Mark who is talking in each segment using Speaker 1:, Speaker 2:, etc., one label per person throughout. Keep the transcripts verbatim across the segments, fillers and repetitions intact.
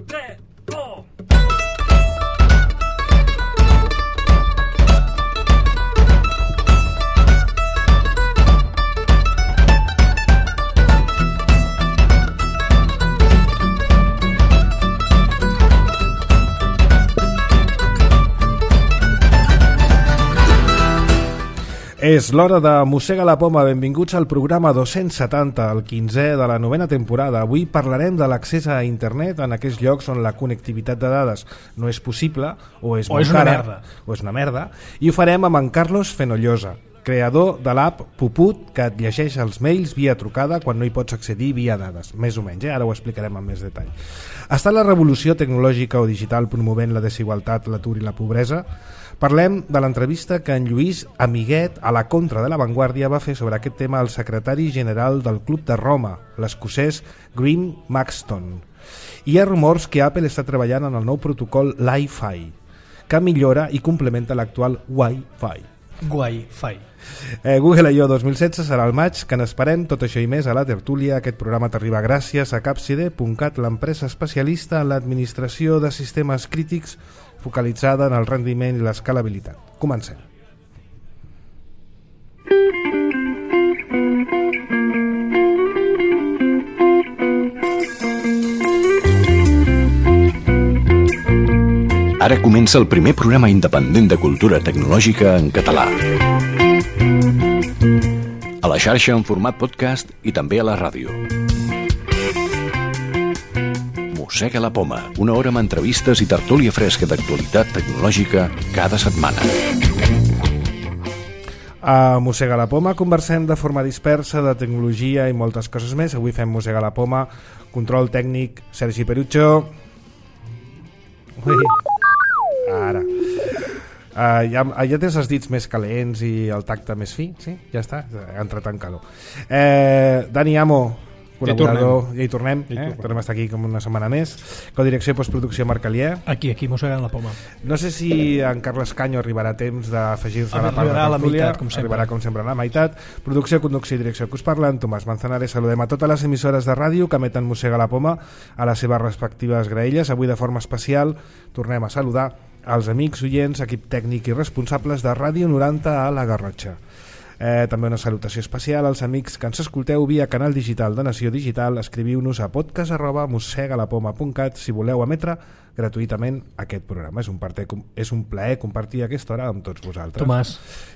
Speaker 1: tres, go!
Speaker 2: És l'hora de Mossega la Poma. Benvinguts al programa dos-cents setanta, el quinzè de la novena temporada. Avui parlarem de l'accés a internet en aquells llocs on la connectivitat de dades no és possible o és,
Speaker 3: o és una merda.
Speaker 2: o és una merda, i ho farem amb en Carlos Fenollosa, creador de l'app Puput, que et llegeix els mails via trucada quan no hi pots accedir via dades, més o menys, eh? Ara ho explicarem amb més detall. Està la revolució tecnològica o digital promovent la desigualtat, l'atur i la pobresa? Parlem de l'entrevista que en Lluís Amiguet, a la Contra de la Vanguardia, va fer sobre aquest tema al secretari general del Club de Roma, l'escocès Graham Maxton. Hi ha rumors que Apple està treballant en el nou protocol Li-Fi, que millora i complementa l'actual Wi-Fi.
Speaker 3: Wi-Fi.
Speaker 2: Eh, Google I O dos mil setze serà el maig, que n'esperem. Tot això i més a la tertúlia. Aquest programa t'arriba gràcies a Capside punt cat, l'empresa especialista en l'administració de sistemes crítics focalitzada en el rendiment i l'escalabilitat. Comencem.
Speaker 4: Ara comença el primer programa independent de cultura tecnològica en català. A la xarxa en format podcast i també a la ràdio. Mossega la Poma, una hora amb entrevistes i tertúlia fresca d'actualitat tecnològica cada setmana.
Speaker 2: A Mossega la Poma conversem de forma dispersa de tecnologia i moltes coses més. Avui fem Mossega la Poma, control tècnic Sergi Perucho. Ui. Ara. Uh, ja, ja tens els dits més calents i el tacte més fi, sí? Ja està, ha entrat en calor. Eh, Dani Amo, col·laborador, ja hi tornem, ja hi tornem, eh? tornem a estar aquí com una setmana més. Codirecció i postproducció Marc Alier.
Speaker 3: Aquí, aquí, mossegant la poma.
Speaker 2: No sé si en Carles Canyo arribarà a temps d'afegir-se a la part de
Speaker 3: la
Speaker 2: tertúlia.
Speaker 3: meitat, com sempre.
Speaker 2: Arribarà com sempre a la meitat. Producció, conducció i direcció que us parlen, Tomàs Manzanares. Saludem a totes les emissores de ràdio que emeten Mossega la Poma a les seves respectives graelles. Avui de forma especial tornem a saludar als amics, oients, equip tècnic i responsables de Ràdio noranta a la Garrotxa. Eh, també una salutació especial als amics que ens escolteu via canal digital de Nació Digital. Escriviu-nos a podcast arroba mossegalapoma punt cat si voleu emetre gratuïtament aquest programa. És un, parte, és un plaer compartir aquesta hora amb tots vosaltres.
Speaker 3: Tomàs.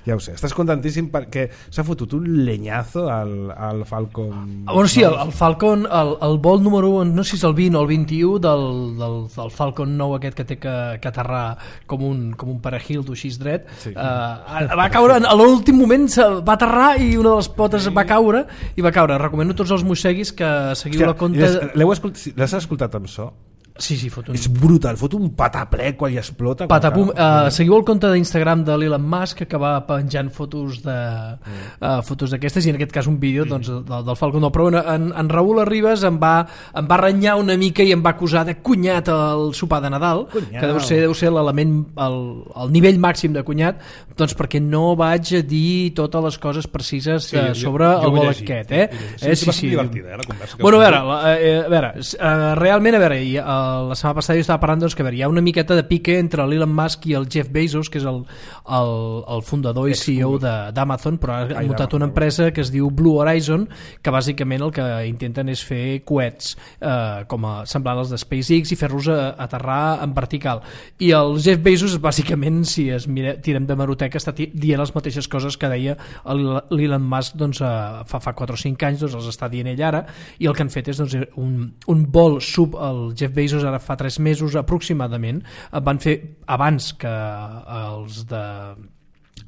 Speaker 2: Ja ho sé, estàs contentíssim perquè s'ha fotut un lenyazo al, al Falcon.
Speaker 3: Bueno, sí, el, el Falcon, el, el vol número un, no sé si és el vint o el vint-i-u del, del, del Falcon nou aquest que té que, que aterrar com un, com un parahildo així dret. Sí. Uh, va caure, a l'últim moment va aterrar i una de les potes va caure i va caure. Recomano a tots els mosseguis que seguiu Hòstia, la compte...
Speaker 2: L'heu escoltat, l'has escoltat amb so?
Speaker 3: Sí, sí, fot un...
Speaker 2: És brutal, fot un patapler quan hi explota.
Speaker 3: Patapum. Uh, seguiu el compte d'Instagram de l'Elon Musk que va penjant fotos de uh, fotos d'aquestes i en aquest cas un vídeo doncs, del, del Falcon nou. Però en, en Raül Arribas em va, em va renyar una mica i em va acusar de cunyat al sopar de Nadal, cunyat. Que deu ser, deu ser l'element, el, el nivell màxim de cunyat, doncs perquè no vaig a dir totes les coses precises sí, uh, sobre jo, jo el vol aquest. Eh?
Speaker 5: Sí,
Speaker 3: eh, sí,
Speaker 5: sí, sí. Divertida, eh, la conversa.
Speaker 3: Bueno, a veure, la, eh, a veure uh, realment, a veure, i, uh, la setmana passada jo estava parlant doncs, que veure, hi ha una miqueta de pique entre l'Elon Musk i el Jeff Bezos, que és el, el, el fundador i C E O d'Amazon, però ha muntat una empresa que es diu Blue Horizon, que bàsicament el que intenten és fer coets eh, com a semblant als de SpaceX i fer-los aterrar en vertical. I el Jeff Bezos bàsicament, si es mira, tirem de meroteca, està dient les mateixes coses que deia l'Elon Musk doncs, eh, fa, fa quatre o cinc anys, doncs els està dient ell ara, i el que han fet és doncs, un, un vol sub el Jeff Bezos ara fa tres mesos aproximadament, van fer abans que els de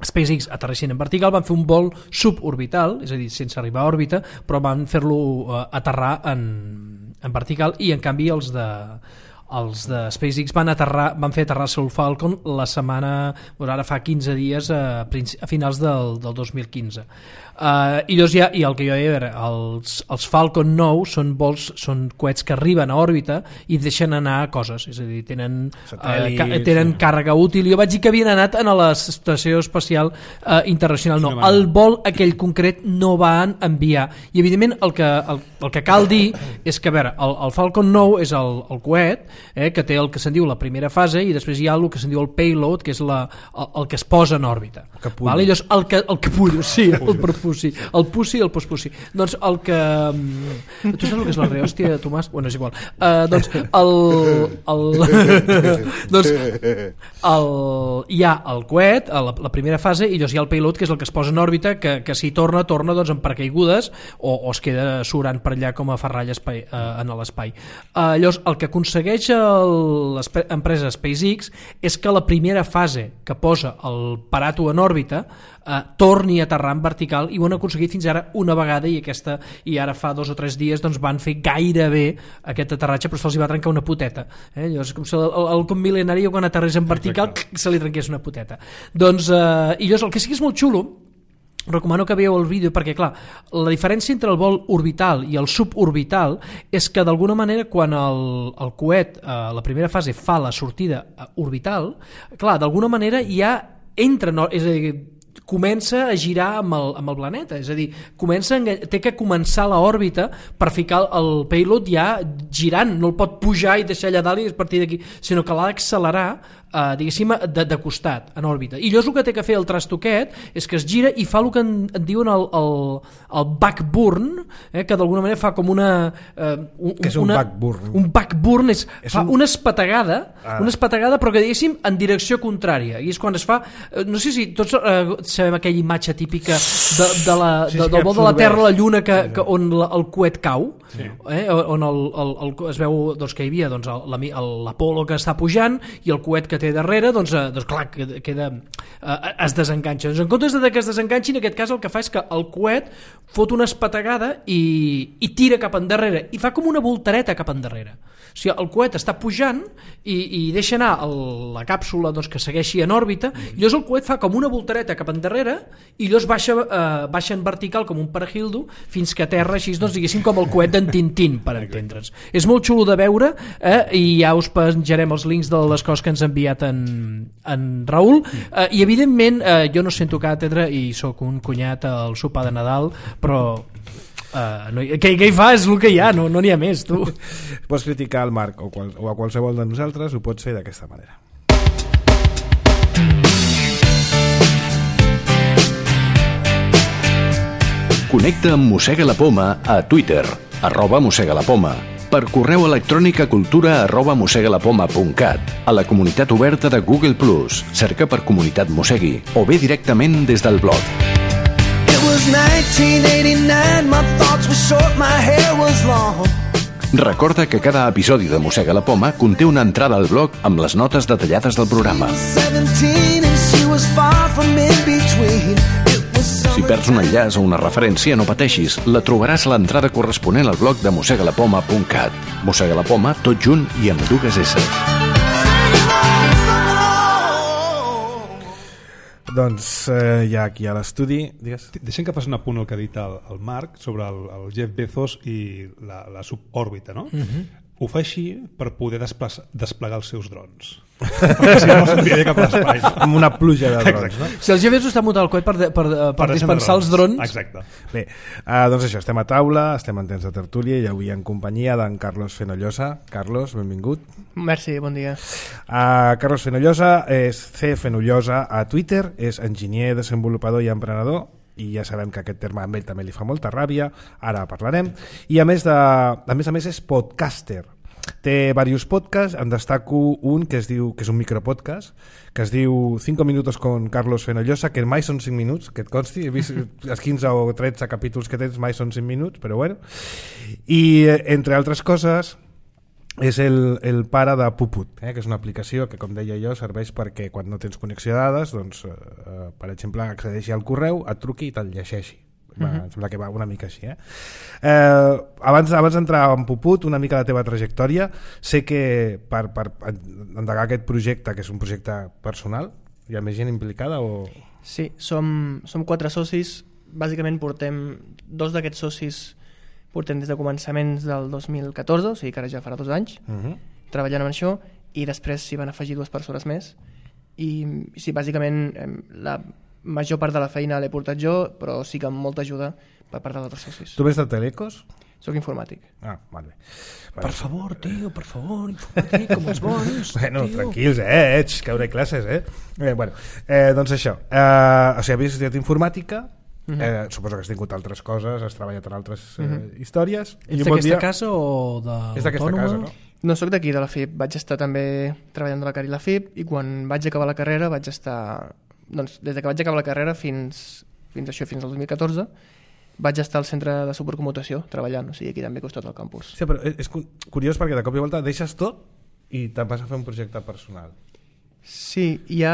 Speaker 3: SpaceX aterressin en vertical, van fer un vol suborbital, és a dir, sense arribar a òrbita, però van fer-lo uh, aterrar en, en vertical, i en canvi els de els de SpaceX van, aterrar, van fer aterrar el Falcon la setmana, doncs ara fa quinze dies a, a finals del, del dos mil quinze. Uh, i, doncs ja, i el que jo deia era, els, els Falcon nou són vols, són coets que arriben a òrbita i deixen anar coses, és a dir, tenen, uh, ca, tenen sí. càrrega útil. Jo vaig dir que havien anat a l'estació espacial uh, internacional, no, el vol aquell concret no van enviar, i evidentment el que, el, el que cal dir és que a veure, el, el Falcon nou és el, el coet eh, que té el que se'n diu la primera fase, i després hi ha el que se'n diu el payload, que és la, el, el que es posa en òrbita, vale? Llavors, el, que, el capullo, sí, el Pussi, el Pussi i el Pospussi. Doncs el que... Tu saps el que és la rehòstia, Tomàs? Bueno, és igual. Uh, doncs el... el doncs el, hi ha el coet, la, la primera fase, i llavors hi ha el payload, que és el que es posa en òrbita, que, que si torna, torna doncs, en paracaigudes o, o es queda surant per allà com a ferrall espai, uh, en l'espai. Uh, llavors, el que aconsegueix l'empresa SpaceX és que la primera fase que posa el Parato en òrbita Uh, torni a aterrar en vertical, i ho han aconseguit fins ara una vegada, i aquesta i ara fa dos o tres dies doncs, van fer gairebé aquest aterratge, però se'ls va trencar una poteta, eh? Llavors, com si el, el, el com mil·lenari quan aterrés en vertical se li trenqués una poteta. Doncs, uh, i llavors el que sí que és molt xulo, recomano que veieu el vídeo, perquè clar, la diferència entre el vol orbital i el suborbital és que d'alguna manera quan el, el coet a eh, la primera fase fa la sortida orbital, clar, d'alguna manera ja entra, no, és a dir, comença a girar amb el, amb el planeta, és a dir, comença a, té que començar l'òrbita per ficar el payload ja girant, no el pot pujar i deixar allà dalt i a partir d'aquí, sinó que l'ha d'accelerar Uh, diguéssim, de, de costat en òrbita, i llavors el que té que fer el trastoquet és que es gira i fa el que en, en diuen el, el, el backburn, eh, que d'alguna manera fa com una uh, un,
Speaker 2: que és un
Speaker 3: una,
Speaker 2: backburn?
Speaker 3: Un backburn és, és fa un... una espategada
Speaker 2: ah.
Speaker 3: una espategada però que diguéssim en direcció contrària, i és quan es fa, uh, no sé si tots uh, sabem aquella imatge típica de, de la, sí, de, del vol de la Terra a la Lluna que, que on la, el coet cau, sí. eh, on el, el, el, es veu doncs, que hi havia doncs, l'Apolo que està pujant i el coet que té darrere, doncs, eh, doncs clar, queda, eh, es desenganxa. Doncs en comptes de que es desenganxi, en aquest cas el que fa és que el coet fot una espategada i, i tira cap endarrere, i fa com una voltareta cap endarrere. O sigui, el coet està pujant i, i deixa anar el, la càpsula doncs, que segueixi en òrbita, mm-hmm. i llavors el coet fa com una voltareta cap endarrere i llavors baixa, eh, baixa en vertical com un parahildo fins que aterra així, doncs, diguéssim, com el coet d'en Tintín, per entendre'ns. És molt xulo de veure, eh, i ja us penjarem els links de les coses que ens ha enviat en, en Raül, eh, i evidentment eh, jo no sento càtedra i sóc un cunyat al sopar de Nadal, però Uh, no, què, què hi fa? És el que hi ha, no n'hi no ha més, tu.
Speaker 2: Pots criticar el Marc o, qual, o a qualsevol de nosaltres, ho pots fer d'aquesta manera.
Speaker 4: Connecta amb Mossega la Poma a Twitter, arroba Mossega la Poma, per correu electrònic a cultura arroba mossegalapoma punt cat, a la comunitat oberta de Google plus, cerca per Comunitat Mossegui, o bé directament des del blog. Recorda que cada episodi de Mossega la Poma conté una entrada al blog amb les notes detallades del programa. Si perds un enllaç o una referència, no pateixis, la trobaràs a l'entrada corresponent al blog de mossegalapoma punt cat. Mossega la Poma, tot junt i amb dues esses.
Speaker 2: Doncs eh, ja aquí a l'estudi, digues.
Speaker 1: Deixem que faci un apunt al que ha dit el, el Marc sobre el, el Jeff Bezos i la, la subòrbita, no? Uh-huh. Ho fa així per poder desplegar els seus drons. Perquè si no, s'enviaria cap a l'espai. No?
Speaker 2: Amb una pluja de drons, no?
Speaker 3: Si el Jeff Bezos està muntat al coet per, per, per, per dispensar els drons...
Speaker 1: Exacte.
Speaker 2: Bé, uh, doncs això, estem a taula, estem en temps de tertúlia i avui en companyia d'en Carlos Fenollosa. Carlos, benvingut.
Speaker 5: Merci, bon dia.
Speaker 2: Uh, Carlos Fenollosa és C. Fenollosa a Twitter, és enginyer, desenvolupador i emprenedor, i ja sabem que aquest terme a ell també li fa molta ràbia, ara parlarem, i a més, de, a més a més és podcaster. Té diversos podcasts, en destaco un que es diu, que és un micropodcast, que es diu cinco minutos con Carlos Fenollosa, que mai són cinc minuts, que et consti, he vist els quinze o tretze capítols que tens, mai són cinc minuts, però bueno. I entre altres coses és el, el pare de Puput, eh, que és una aplicació que, com deia jo, serveix perquè quan no tens connexió de dades, doncs, eh, per exemple, accedeixi al correu, et truqui i te'l llegeixi. Va, uh-huh. Em sembla que va una mica així. Eh? Eh, abans, abans d'entrar en Puput, una mica la teva trajectòria, sé que per, per endegar aquest projecte, que és un projecte personal, hi ha més gent implicada o...?
Speaker 5: Sí, som, som quatre socis, bàsicament portem, dos d'aquests socis portem des de començaments del dos mil catorze, o sigui que ara ja farà dos anys, uh-huh. treballant amb això, i després s'hi van afegir dues persones més, i sí, bàsicament la major part de la feina l'he portat jo, però sí que amb molta ajuda per part d'altres socis.
Speaker 2: Tu vés de Telecos?
Speaker 5: Soc informàtic.
Speaker 2: Ah, vale.
Speaker 3: Per vale. favor, tio, per favor, informàtic, com els bons.
Speaker 2: Bueno,
Speaker 3: tio.
Speaker 2: Tranquils, eh? Ets, que hauré classes, eh? eh bueno, eh, doncs això. Eh, o sigui, havies estudiat informàtica, uh-huh. eh, suposo que has tingut altres coses, has treballat en altres eh, uh-huh. històries.
Speaker 3: Ets d'aquesta dia... casa o de
Speaker 2: És d'aquesta casa, no?
Speaker 5: No, soc d'aquí, de la F I P. Vaig estar també treballant de la Cari la F I P i quan vaig acabar la carrera vaig estar... Doncs des de que vaig acabar la carrera fins, fins això, fins al dos mil catorze, vaig estar al centre de supercommutació treballant, o sigui, aquí també costat al campus.
Speaker 2: Sí, però és curiós perquè de cop i volta deixes tot i te'n vas a fer un projecte personal.
Speaker 5: Sí, hi ha...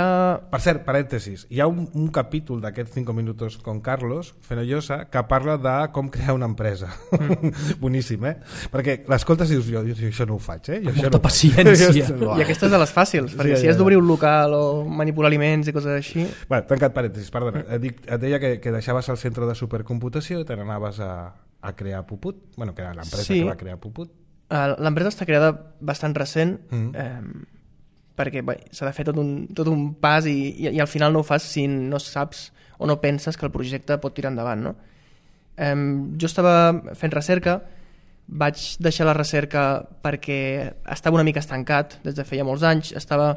Speaker 2: Per cert, parèntesis, hi ha un, un capítol d'aquests cinc minuts con Carlos Fenollosa que parla de com crear una empresa. Mm. Boníssim, eh? Perquè l'escoltes i dius, jo, jo això no ho faig, eh? Jo
Speaker 3: Molta
Speaker 2: no
Speaker 3: paciència.
Speaker 5: I aquesta és de les fàcils, perquè sí, si has d'obrir un local o manipular aliments i coses així...
Speaker 2: Bueno, tancat parèntesis, perdona. Et, dic, et deia que, que deixaves el centre de supercomputació i te n'anaves a, a crear Puput, bueno, que era l'empresa sí. que va crear Puput.
Speaker 5: L'empresa està creada bastant recent, mm. eh, perquè bé, s'ha de fer tot un, tot un pas i, i, i al final no ho fas si no saps o no penses que el projecte pot tirar endavant, no? Eh, jo estava fent recerca, vaig deixar la recerca perquè estava una mica estancat des de feia molts anys, estava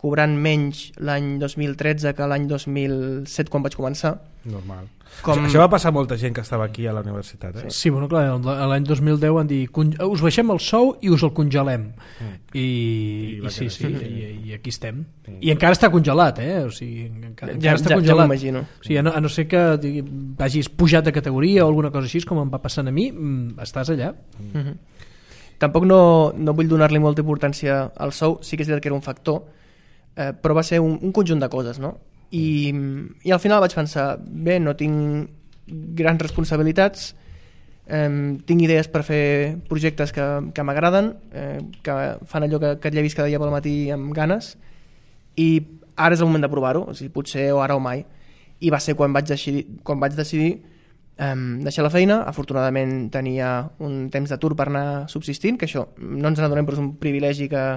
Speaker 5: cobrant menys l'any dos mil tretze que l'any dos mil set quan vaig començar.
Speaker 2: Normal. Com... Això, això va passar a molta gent que estava aquí a la universitat, eh?
Speaker 3: Sí, bueno, clar, l'any dos mil deu van dir us baixem el sou i us el congelem. Mm. I, I, i sí, sí, i, i aquí estem. Mm. I encara està congelat, eh? O sigui, encara,
Speaker 5: ja,
Speaker 3: encara està
Speaker 5: ja,
Speaker 3: congelat.
Speaker 5: Ja m'imagino.
Speaker 3: O sigui, a no, a no ser que digui, hagis pujat de categoria o alguna cosa així, com em va passant a mi, estàs allà.
Speaker 5: Mm. Mm-hmm. Tampoc no, no vull donar-li molta importància al sou, sí que és veritat que era un factor, eh, però va ser un, un conjunt de coses, no? I, i al final vaig pensar, bé, no tinc grans responsabilitats, eh, tinc idees per fer projectes que, que m'agraden, eh, que fan allò que, que et llevis cada dia pel matí amb ganes, i ara és el moment de provar-ho, o sigui, potser o ara o mai. I va ser quan vaig decidir, quan vaig decidir eh, deixar la feina. Afortunadament tenia un temps d'atur per anar subsistint, que això no ens n'adonem, però és un privilegi que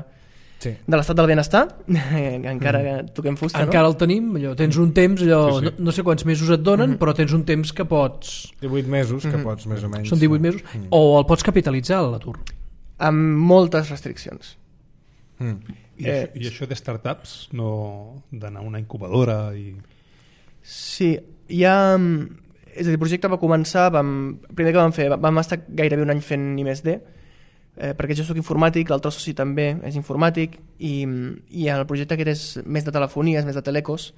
Speaker 5: sí. de l'estat del benestar, encara que toquem fusta,
Speaker 3: encara
Speaker 5: no?
Speaker 3: el tenim, allò, tens un temps allò, sí, sí. No, no sé quants mesos et donen, mm-hmm. però tens un temps que pots
Speaker 2: divuit mesos, que mm-hmm. pots més o menys
Speaker 3: són divuit mesos, mm. o el pots capitalitzar l'atur
Speaker 5: amb moltes restriccions.
Speaker 1: mm. I, eh, això, i això de startups no d'anar a una incubadora i...
Speaker 5: Sí, hi ha és a dir, el projecte va començar vam, primer que vam fer, vam estar gairebé un any fent I més D, Eh, perquè jo soc informàtic, l'altre soci també és informàtic i, i el projecte aquest és més de telefonia, és més de telecos,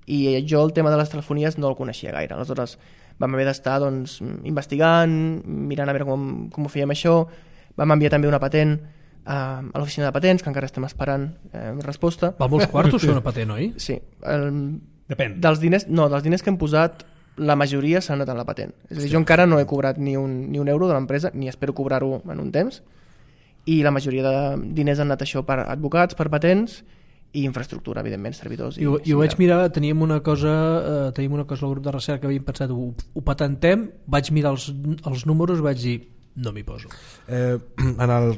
Speaker 5: i jo el tema de les telefonies no el coneixia gaire. Aleshores vam haver d'estar doncs, investigant, mirant a veure com, com ho fèiem això. Vam enviar també una patent a, a l'oficina de patents, que encara estem esperant eh, resposta.
Speaker 3: Va molts quartos fer una patent, oi?
Speaker 5: Sí. El,
Speaker 1: Depèn.
Speaker 5: Dels diners, no, dels diners que hem posat, la majoria s'han anat en la patent. És a dir, jo encara no he cobrat ni un, ni un euro de l'empresa, ni espero cobrar-ho en un temps, i la majoria de diners han anat això per advocats, per patents i infraestructura, evidentment, servidors.
Speaker 3: I, I, i ho vaig mirar, teníem una cosa eh, teníem una cosa al grup de recerca que havíem pensat, ho, ho patentem, vaig mirar els, els números, vaig dir, no m'hi poso.
Speaker 2: Eh, en el,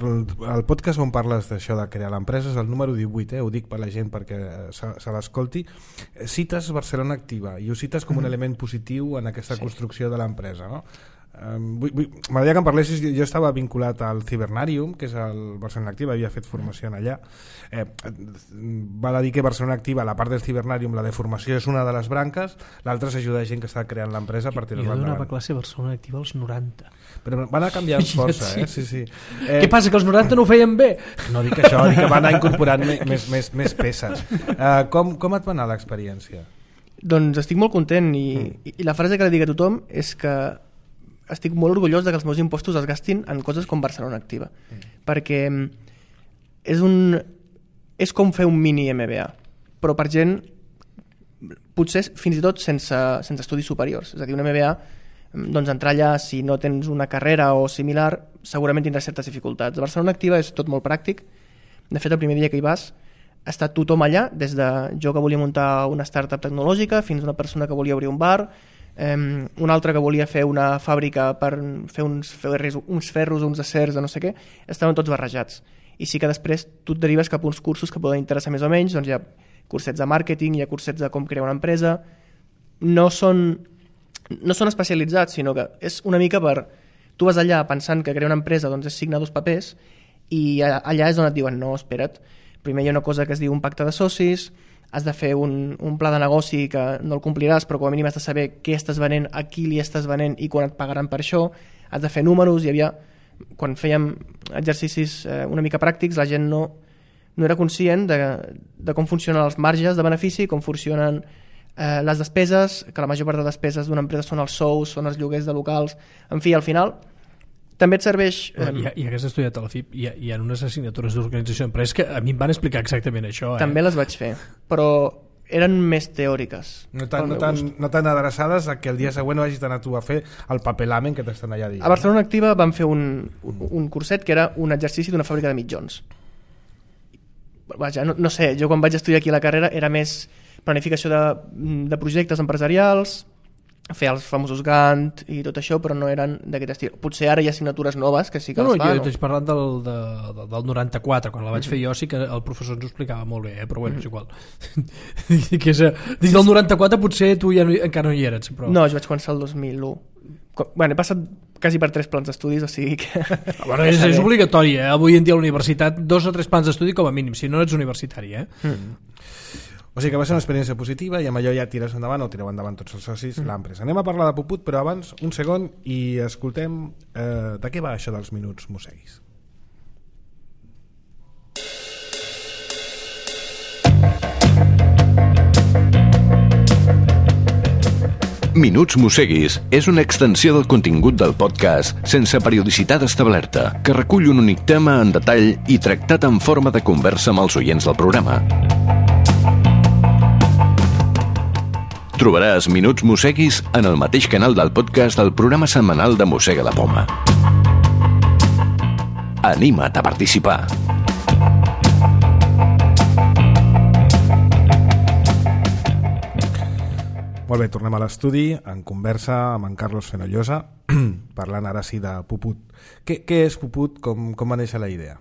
Speaker 2: el podcast on parles d'això de crear l'empresa és el número divuit, eh, ho dic per la gent perquè se, se l'escolti, cites Barcelona Activa i ho cites com un mm. element positiu en aquesta sí. construcció de l'empresa, no? Um, m'agradaria que em parlessis. Jo estava vinculat al Cibernarium, que és el Barcelona Activa, havia fet formació en allà. eh, val a dir que Barcelona Activa, la part del Cibernarium, la de formació és una de les branques, l'altra és ajudar gent que està creant l'empresa per tirar-la endavant.
Speaker 3: Jo donava classe a Barcelona Activa als noranta,
Speaker 2: però van anar canviant força, eh? Sí, sí. Eh,
Speaker 3: què passa, que els noranta no ho feien bé?
Speaker 2: No dic això, dic que van anar incorporant més, més, més peces. eh, com, com et va anar l'experiència?
Speaker 5: Doncs estic molt content i, mm. i la frase que li dic a tothom és que estic molt orgullós de que els meus impostos es gastin en coses com Barcelona Activa, mm. perquè és un és com fer un mini M B A, però per gent potser fins i tot sense, sense estudis superiors. És a dir, un M B A doncs entrar allà, si no tens una carrera o similar, segurament tindràs certes dificultats. A Barcelona Activa és tot molt pràctic. De fet, el primer dia que hi vas està tothom allà, des de jo que volia muntar una startup tecnològica fins a una persona que volia obrir un bar, eh, un altre que volia fer una fàbrica per fer uns ferros, uns ferros o uns acers de no sé què, estaven tots barrejats. I sí que després tu et derives cap a uns cursos que poden interessar més o menys, doncs hi ha cursets de màrqueting, hi ha cursets de com crear una empresa, no són, no són especialitzats, sinó que és una mica per... Tu vas allà pensant que crear una empresa doncs és signar dos papers i allà és on et diuen no, espera't, primer hi ha una cosa que es diu un pacte de socis, has de fer un, un pla de negoci que no el compliràs, però com a mínim has de saber què estàs venent, a qui li estàs venent i quan et pagaran per això, has de fer números. Hi havia, quan fèiem exercicis eh, una mica pràctics, la gent no, no era conscient de, de com funcionen els marges de benefici, com funcionen eh, les despeses, que la major part de despeses d'una empresa són els sous, són els lloguers de locals, en fi, al final també et serveix...
Speaker 3: Eh... I, I hagués estudiat a la F I P, hi ha, hi ha unes assignatures d'organització d'empresa que a mi em van explicar exactament això. Eh?
Speaker 5: També les vaig fer, però eren més teòriques.
Speaker 2: No tan, no, tan, no tan adreçades a que el dia següent no hagis d'anar tu a fer el papelamen que t'estan allà dient.
Speaker 5: A Barcelona Activa vam fer un, un, un curset que era un exercici d'una fàbrica de mitjons. Vaja, no, no sé, jo quan vaig estudiar aquí a la carrera era més planificació de, de projectes empresarials, fer els famosos Gantt i tot això, però no eren d'aquest estil. Potser ara hi ha assignatures noves que sí que
Speaker 3: no,
Speaker 5: les
Speaker 3: no,
Speaker 5: fan.
Speaker 3: Jo estic parlant del, de, del noranta-quatre, quan la vaig fer jo sí que el professor ens ho explicava molt bé, eh? Però bueno, és igual. que és, dins del noranta-quatre potser tu ja no, encara no hi eres. Però...
Speaker 5: No, jo vaig començar el dos mil u. Bueno, he passat quasi per tres plans d'estudis, o sigui que...
Speaker 3: Bueno, és, és obligatori, eh? Avui en dia a la universitat, dos o tres plans d'estudi com a mínim, si no ets universitari, eh? Mm.
Speaker 2: O sigui que va ser una experiència positiva i amb allò ja tires endavant o tireu endavant tots els socis mm. l'empresa. Anem a parlar de Puput, però abans un segon i escoltem eh, de què va això dels minuts mosseguis.
Speaker 4: Minuts Mosseguis és una extensió del contingut del podcast sense periodicitat establerta, que recull un únic tema en detall i tractat en forma de conversa amb els oients del programa. Trobaràs Minuts Mosseguis en el mateix canal del podcast del programa setmanal de Mossega la Poma. Anima't a participar!
Speaker 2: Molt bé, tornem a l'estudi en conversa amb en Carlos Fenollosa parlant ara sí de Puput. Què, què és Puput? Com, com va néixer la idea?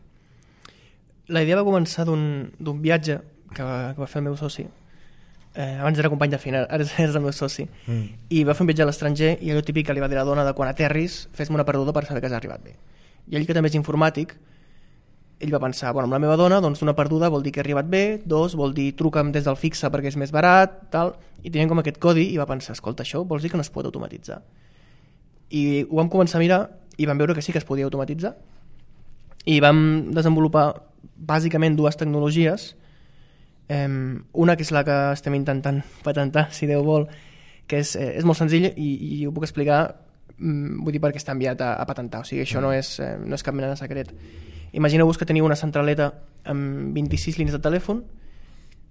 Speaker 5: La idea va començar d'un viatge que va, que va fer el meu soci. Eh, abans era company de feina, ara és el meu soci. Mm. I va fer un viatge a l'estranger i allò típic que li va dir la dona de quan aterris fes-me una perduda per saber que has arribat bé. I ell, que també és informàtic, ell va pensar, bueno, amb la meva dona, doncs una perduda vol dir que he arribat bé, dos, vol dir truca'm des del fixe perquè és més barat, tal, i tenien com aquest codi i va pensar, escolta, això vols dir que no es pot automatitzar? I ho vam començar a mirar i vam veure que sí que es podia automatitzar i vam desenvolupar bàsicament dues tecnologies. Um, una que és la que estem intentant patentar, si Déu vol, que és, eh, és molt senzill i, i ho puc explicar, um, vull dir perquè està enviat a, a patentar, o sigui, això no és, eh, no és cap mena de secret. Imagineu-vos que teniu una centraleta amb vint-i-sis línies de telèfon,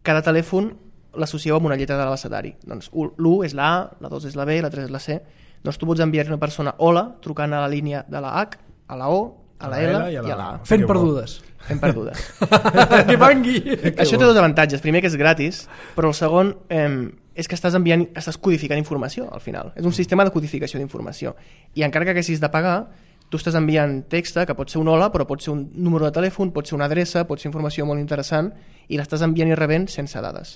Speaker 5: cada telèfon l'associeu amb una lletra de l'abecedari. Doncs l'u és la A, la dos és la B, la tres és la C. Doncs tu pots enviar a una persona hola trucant a la línia de la H, a la O, a la L i a la A.
Speaker 3: Fent perdudes.
Speaker 5: Fent perdudes.
Speaker 3: Que vangui!
Speaker 5: Això té dos avantatges. Primer, que és gratis, però el segon eh, és que estàs enviant, estàs codificant informació al final. És un sistema de codificació d'informació. I encara que haguessis de pagar, tu estàs enviant text, que pot ser un hola, però pot ser un número de telèfon, pot ser una adreça, pot ser informació molt interessant, i l'estàs enviant i rebent sense dades.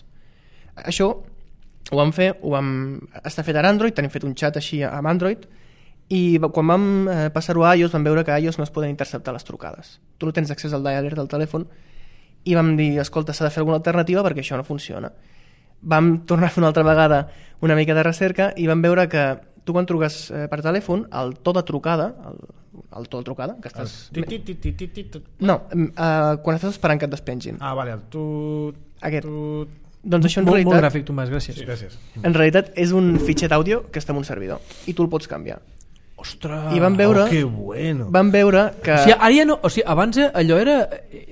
Speaker 5: Això ho vam fer, ho vam estar fet a Android, tenim fet un xat així amb Android, i quan vam eh, passar-ho a iOS vam veure que a iOS no es poden interceptar les trucades. Tu no tens accés al dialer del telèfon i vam dir, escolta, s'ha de fer alguna alternativa perquè això no funciona. Vam tornar a fer una altra vegada una mica de recerca i vam veure que tu quan truques eh, per telèfon, el to de trucada, el, el to de trucada, que estàs... No, eh, quan estàs esperant que et despengin.
Speaker 2: Ah, vale, el tu...
Speaker 5: Aquest.
Speaker 2: Tu...
Speaker 5: Doncs això en
Speaker 3: molt,
Speaker 5: realitat...
Speaker 3: Molt gràfic, Tomàs, gràcies.
Speaker 2: Sí, gràcies.
Speaker 5: En realitat és un fitxer d'àudio que està en un servidor i tu el pots canviar.
Speaker 3: Ostres!
Speaker 5: I van veure,
Speaker 2: Oh, que bueno.
Speaker 5: van veure que...
Speaker 3: O sigui, ara ja no, o sigui, abans allò era...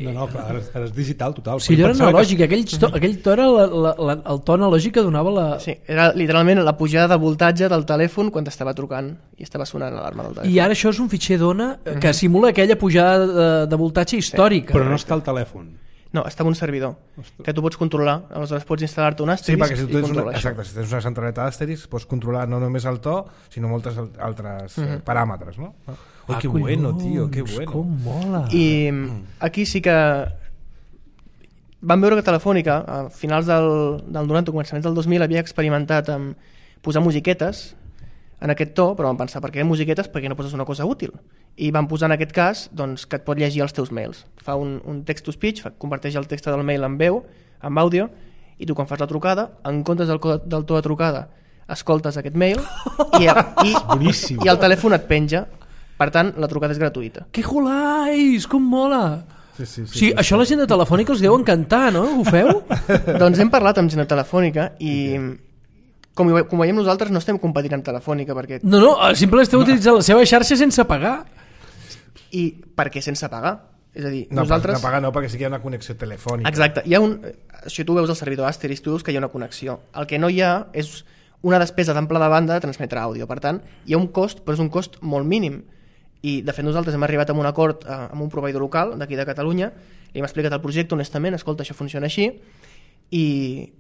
Speaker 1: No, no, clar, ara, ara és digital total.
Speaker 3: O sigui, allò era
Speaker 1: Pensava que-
Speaker 3: analògic, aquell to, aquell to era la, la, la, el to analògic que donava la...
Speaker 5: Sí, era literalment la pujada de voltatge del telèfon quan t'estava trucant i estava sonant l'alarma del telèfon.
Speaker 3: I ara això és un fitxer d'ona que simula aquella pujada de, de voltatge històrica.
Speaker 1: Però no està al telèfon.
Speaker 5: No, està en un servidor que tu pots controlar, aleshores pots instal·lar-te un
Speaker 2: Sí,
Speaker 5: Asterix
Speaker 2: perquè si tu
Speaker 5: i
Speaker 2: tens una,
Speaker 5: controlar això.
Speaker 2: exacte, si tens una centraleta d'Asterix pots controlar no només el to, sinó moltes al- altres uh -huh. paràmetres, no? Oh, que bueno, tio, que bueno.
Speaker 3: Com mola.
Speaker 5: I aquí sí que vam veure que Telefònica a finals del, del noranta, començaments del dos mil, havia experimentat amb posar musiquetes en aquest to, però vam pensar, per què musiquetes? Perquè no poses una cosa útil. I vam posar en aquest cas doncs, que et pot llegir els teus mails. Fa un, un text-to-speech, fa- converteix el text del mail en veu, en àudio, i tu quan fas la trucada, en comptes del, co- del to de trucada, escoltes aquest mail i, i,
Speaker 1: boníssim.
Speaker 5: i el telèfon et penja. Per tant, la trucada és gratuïta.
Speaker 3: Que jolais, com mola.
Speaker 2: Sí, sí,
Speaker 3: O sigui, això la gent de Telefònica els deu encantar, no? Ho feu?
Speaker 5: Doncs hem parlat amb gent de Telefònica i com, hi ve- com veiem nosaltres no estem competint amb Telefònica perquè,
Speaker 3: No, no, simplement esteu utilitzant la seva xarxa sense pagar.
Speaker 5: i perquè sense pagar. És a dir,
Speaker 2: No,
Speaker 5: nosaltres...
Speaker 2: no pagar no, perquè sí que hi ha una connexió telefònica.
Speaker 5: Exacte. Hi ha un... Si tu veus el servidor Asterix, tu veus que hi ha una connexió. El que no hi ha és una despesa d'ample de banda de transmetre àudio. Per tant, hi ha un cost, però és un cost molt mínim. I, de fet, nosaltres hem arribat a un acord eh, amb un proveïdor local d'aquí de Catalunya, li hem explicat el projecte honestament, escolta, això funciona així, i,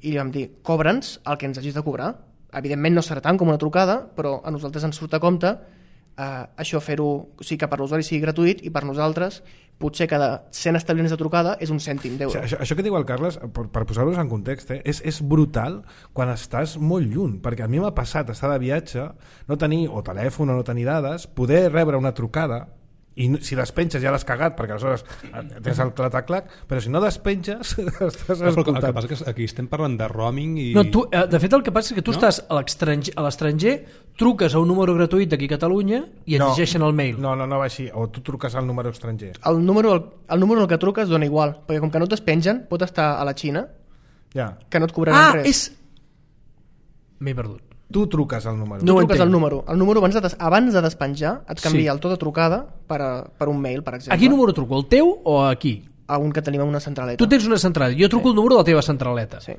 Speaker 5: i li vam dir, cobra'ns el que ens hagis de cobrar. Evidentment no serà tant com una trucada, però a nosaltres ens surt a compte eh, això fer-ho, o sigui, que per l'usuari sigui gratuït, i per nosaltres potser cada cent establiments de trucada és un cèntim
Speaker 2: O
Speaker 5: d'euro.
Speaker 2: sigui, això, això que diu el Carles, per, per posar-los en context, eh, és, és brutal quan estàs molt lluny, perquè a mi m'ha passat estar de viatge, no tenir o telèfon o no tenir dades, poder rebre una trucada i no- si despenges ja l'has cagat perquè aleshores tens el clatac-clac, però si no despenges estàs
Speaker 1: Però el que
Speaker 2: escoltant.
Speaker 1: passa és que aquí estem parlant de roaming i...
Speaker 3: No, tu, eh, de fet, el que passa és que tu
Speaker 1: No?
Speaker 3: estàs a l'extranger- a l'estranger, truques a un número gratuït d'aquí a Catalunya i et
Speaker 2: No.
Speaker 3: llegeixen el mail.
Speaker 2: No, no, no va així, o tu truques al número estranger.
Speaker 5: El número, el, el número al que truques dona igual, perquè com que no et despengen, pot estar a la Xina,
Speaker 2: Ja.
Speaker 5: que no et cobraran
Speaker 3: Ah,
Speaker 5: res.
Speaker 3: és... M'he perdut.
Speaker 2: Tu truques al número.
Speaker 5: Tu
Speaker 3: No ho
Speaker 5: truques
Speaker 3: entenc.
Speaker 5: al número. El número abans de, des, abans de despenjar et canvia
Speaker 3: Sí.
Speaker 5: el to de trucada per, a, per un mail, per exemple.
Speaker 3: A quin número truco? El teu o aquí?
Speaker 5: A un que tenim a una centraleta.
Speaker 3: Tu tens una centraleta. Jo truco el número de la teva centraleta.
Speaker 5: Sí.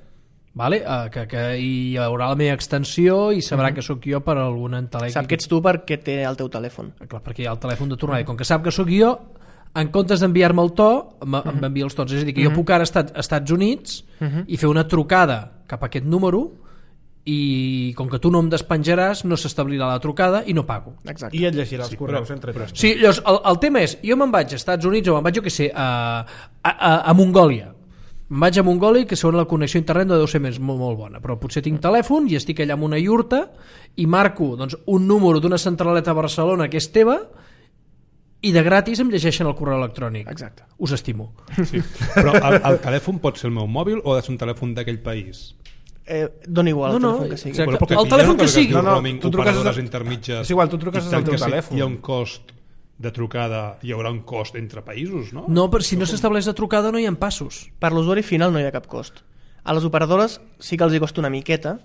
Speaker 3: Vale? Uh, que, que hi haurà la meva extensió i sabrà mm -hmm. que sóc jo per algun entelèquic.
Speaker 5: Sap que ets tu perquè té el teu telèfon.
Speaker 3: Clar, perquè hi ha el telèfon de tornada. I com que sap que sóc jo, en comptes d'enviar-me el to, m'envia els tons. És a dir, que jo puc ara estar als Estats Units i fer una trucada cap a aquest número i com que tu no em despenjaràs, no s'establirà la trucada i no pago.
Speaker 5: Exacte.
Speaker 2: I et llegirà els
Speaker 1: Sí,
Speaker 2: correus
Speaker 1: però-
Speaker 2: entre
Speaker 1: però-
Speaker 2: tots.
Speaker 3: Sí, llavors, el, el tema és, jo me'n vaig als Estats Units o me'n vaig, jo què sé, a, a, a, a Mongòlia. Me'n vaig a Mongòlia, que segons la connexió a internet no deu ser més, molt, molt bona, però potser tinc telèfon i estic allà amb una iurta i marco doncs, un número d'una centraleta a Barcelona que és teva i de gratis em llegeixen el correu electrònic.
Speaker 5: Exacte.
Speaker 3: Us estimo.
Speaker 1: Sí. Però el, el telèfon pot ser el meu mòbil o ha de ser un telèfon d'aquell país?
Speaker 5: Eh, dona igual
Speaker 3: No,
Speaker 5: el
Speaker 3: no,
Speaker 5: telèfon que sigui.
Speaker 3: exacte.
Speaker 1: Però perquè
Speaker 3: El
Speaker 1: hi ha
Speaker 3: telèfon
Speaker 1: una
Speaker 3: que
Speaker 1: cosa
Speaker 3: sigui.
Speaker 1: diu
Speaker 2: No, no,
Speaker 1: roaming,
Speaker 2: tu truques
Speaker 1: operadores
Speaker 2: des de-
Speaker 1: intermitges.
Speaker 2: És igual, tu truques
Speaker 1: i
Speaker 2: des
Speaker 1: tant
Speaker 2: del teu
Speaker 1: que si
Speaker 2: telèfon.
Speaker 1: hi ha un cost de trucada, hi haurà un cost entre països, no?
Speaker 3: No, però si no s'estableix la trucada no hi ha passos.
Speaker 5: Per l'usuari final no hi ha cap cost. A les operadores sí que els hi costa una miqueta.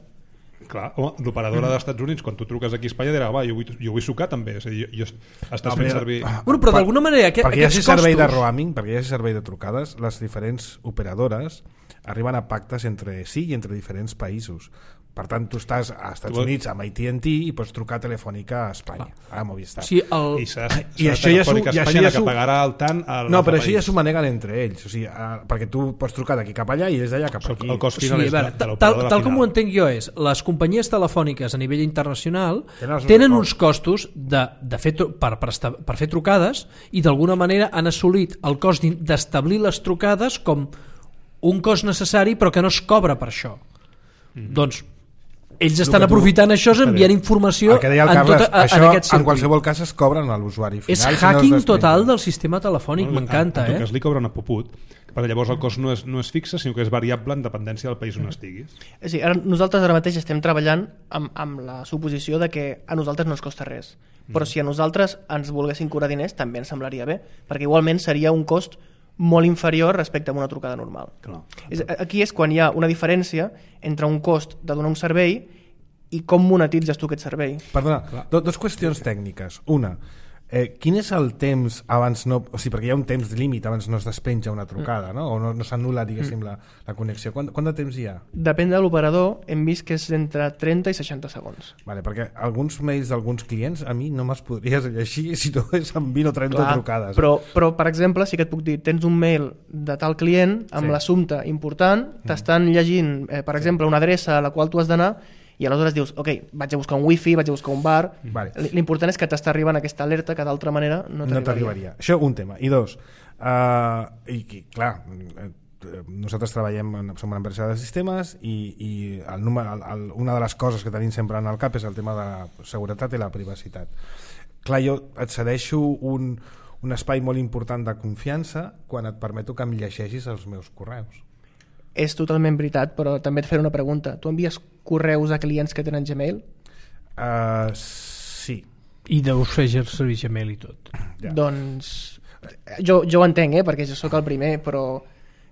Speaker 1: Clar, home, l'operadora dels Estats Units, quan tu truques aquí a Espanya, dirà, va, jo vull, jo vull sucar també. És a dir, jo, jo estàs fent servir...
Speaker 3: Bueno, però d'alguna manera aquest,
Speaker 2: perquè hi hagi
Speaker 3: aquests
Speaker 2: servei de
Speaker 3: costos...
Speaker 2: roaming, perquè hi hagi servei de trucades, les diferents operadores arriben a pactes entre si i entre diferents països. Per tant, tu estàs a Estats
Speaker 1: Tu-
Speaker 2: Units amb A T and T i pots trucar telefònica a Espanya, a Movistar.
Speaker 3: Sí, el...
Speaker 1: I serà,
Speaker 2: I
Speaker 1: serà
Speaker 2: això ja s'ho-
Speaker 1: Telefònica
Speaker 2: i això
Speaker 1: Espanya
Speaker 2: ja
Speaker 1: la que
Speaker 2: s'ho-
Speaker 1: pagarà el tant al
Speaker 2: No, però
Speaker 1: altre
Speaker 2: això ja
Speaker 1: país.
Speaker 2: s'ho maneguen entre ells, o sigui, eh, perquè tu pots trucar d'aquí cap allà i ells d'allà cap
Speaker 1: El,
Speaker 2: aquí.
Speaker 1: el cost
Speaker 3: O
Speaker 1: final
Speaker 3: sigui, a
Speaker 1: és
Speaker 3: veure,
Speaker 1: de, de
Speaker 3: tal,
Speaker 1: l'operadora
Speaker 3: tal com ho
Speaker 1: final.
Speaker 3: entenc jo és, les companyies telefòniques a nivell internacional
Speaker 2: Tenen els
Speaker 3: tenen
Speaker 2: seus
Speaker 3: uns costos de, de fer, tru- per, per, esta, per fer trucades i d'alguna manera han assolit el cost d'in- d'establir les trucades com un cost necessari però que no es cobra per això. Mm. Doncs ells estan
Speaker 2: que tu-
Speaker 3: aprofitant això enviant informació
Speaker 2: El que deia el
Speaker 3: en,
Speaker 2: Carles,
Speaker 3: tota,
Speaker 2: això
Speaker 3: en aquest
Speaker 2: en
Speaker 3: circuit.
Speaker 2: qualsevol cas es cobren a l'usuari final.
Speaker 3: És
Speaker 2: si no es
Speaker 3: hacking
Speaker 2: despenja.
Speaker 3: total del sistema telefònic, m'encanta,
Speaker 1: En tot
Speaker 3: eh?
Speaker 1: cas li cobra una puput, perquè llavors el cost no és, no és fixe, sinó que és variable en dependència del país on estiguis.
Speaker 5: És a dir, ara, nosaltres ara mateix estem treballant amb, amb la suposició de que a nosaltres no ens costa res. Però si a nosaltres ens volguessin cobrar diners també ens semblaria bé, perquè igualment seria un cost molt inferior respecte a una trucada normal.
Speaker 1: Clar.
Speaker 5: És, aquí és quan hi ha una diferència entre un cost de donar un servei i com monetitzes tu aquest servei.
Speaker 2: Perdona, do, dos qüestions tècniques. Una, eh, quin és el temps abans no... O sigui, perquè hi ha un temps límit abans no es despenja una trucada, no? O no, no s'anul·la, diguéssim, la, la connexió. Quant, quant de temps hi ha?
Speaker 5: Depèn de l'operador, hem vist que és entre trenta i seixanta segons.
Speaker 2: Vale, perquè alguns mails d'alguns clients a mi no me'ls podries llegir si no és amb vint o trenta
Speaker 5: Clar,
Speaker 2: trucades.
Speaker 5: Però, però, per exemple, sí que et puc dir, tens un mail de tal client amb
Speaker 2: Sí.
Speaker 5: l'assumpte important, t'estan llegint, eh, per exemple, una adreça a la qual tu has d'anar, i aleshores dius, ok, vaig a buscar un wifi, vaig a buscar un bar.
Speaker 2: Vale.
Speaker 5: L'important és que t'està arribant aquesta alerta que d'altra manera no
Speaker 2: no
Speaker 5: t'arribaria.
Speaker 2: t'arribaria. Això un tema. I dos, uh, i, i clar, eh, nosaltres treballem, en, som una empresa de sistemes i, i el número, el, el, una de les coses que tenim sempre en el cap és el tema de la seguretat i la privacitat. Clar, jo et cedeixo un, un espai molt important de confiança quan et permeto que em llegeixis els meus correus.
Speaker 5: És totalment veritat, però també et faré una pregunta. Tu envies correus a clients que tenen Gmail?
Speaker 2: Uh, sí.
Speaker 3: I deus fer servir Gmail i tot.
Speaker 2: Ja.
Speaker 5: Doncs jo, jo ho entenc, eh, perquè jo sóc el primer, però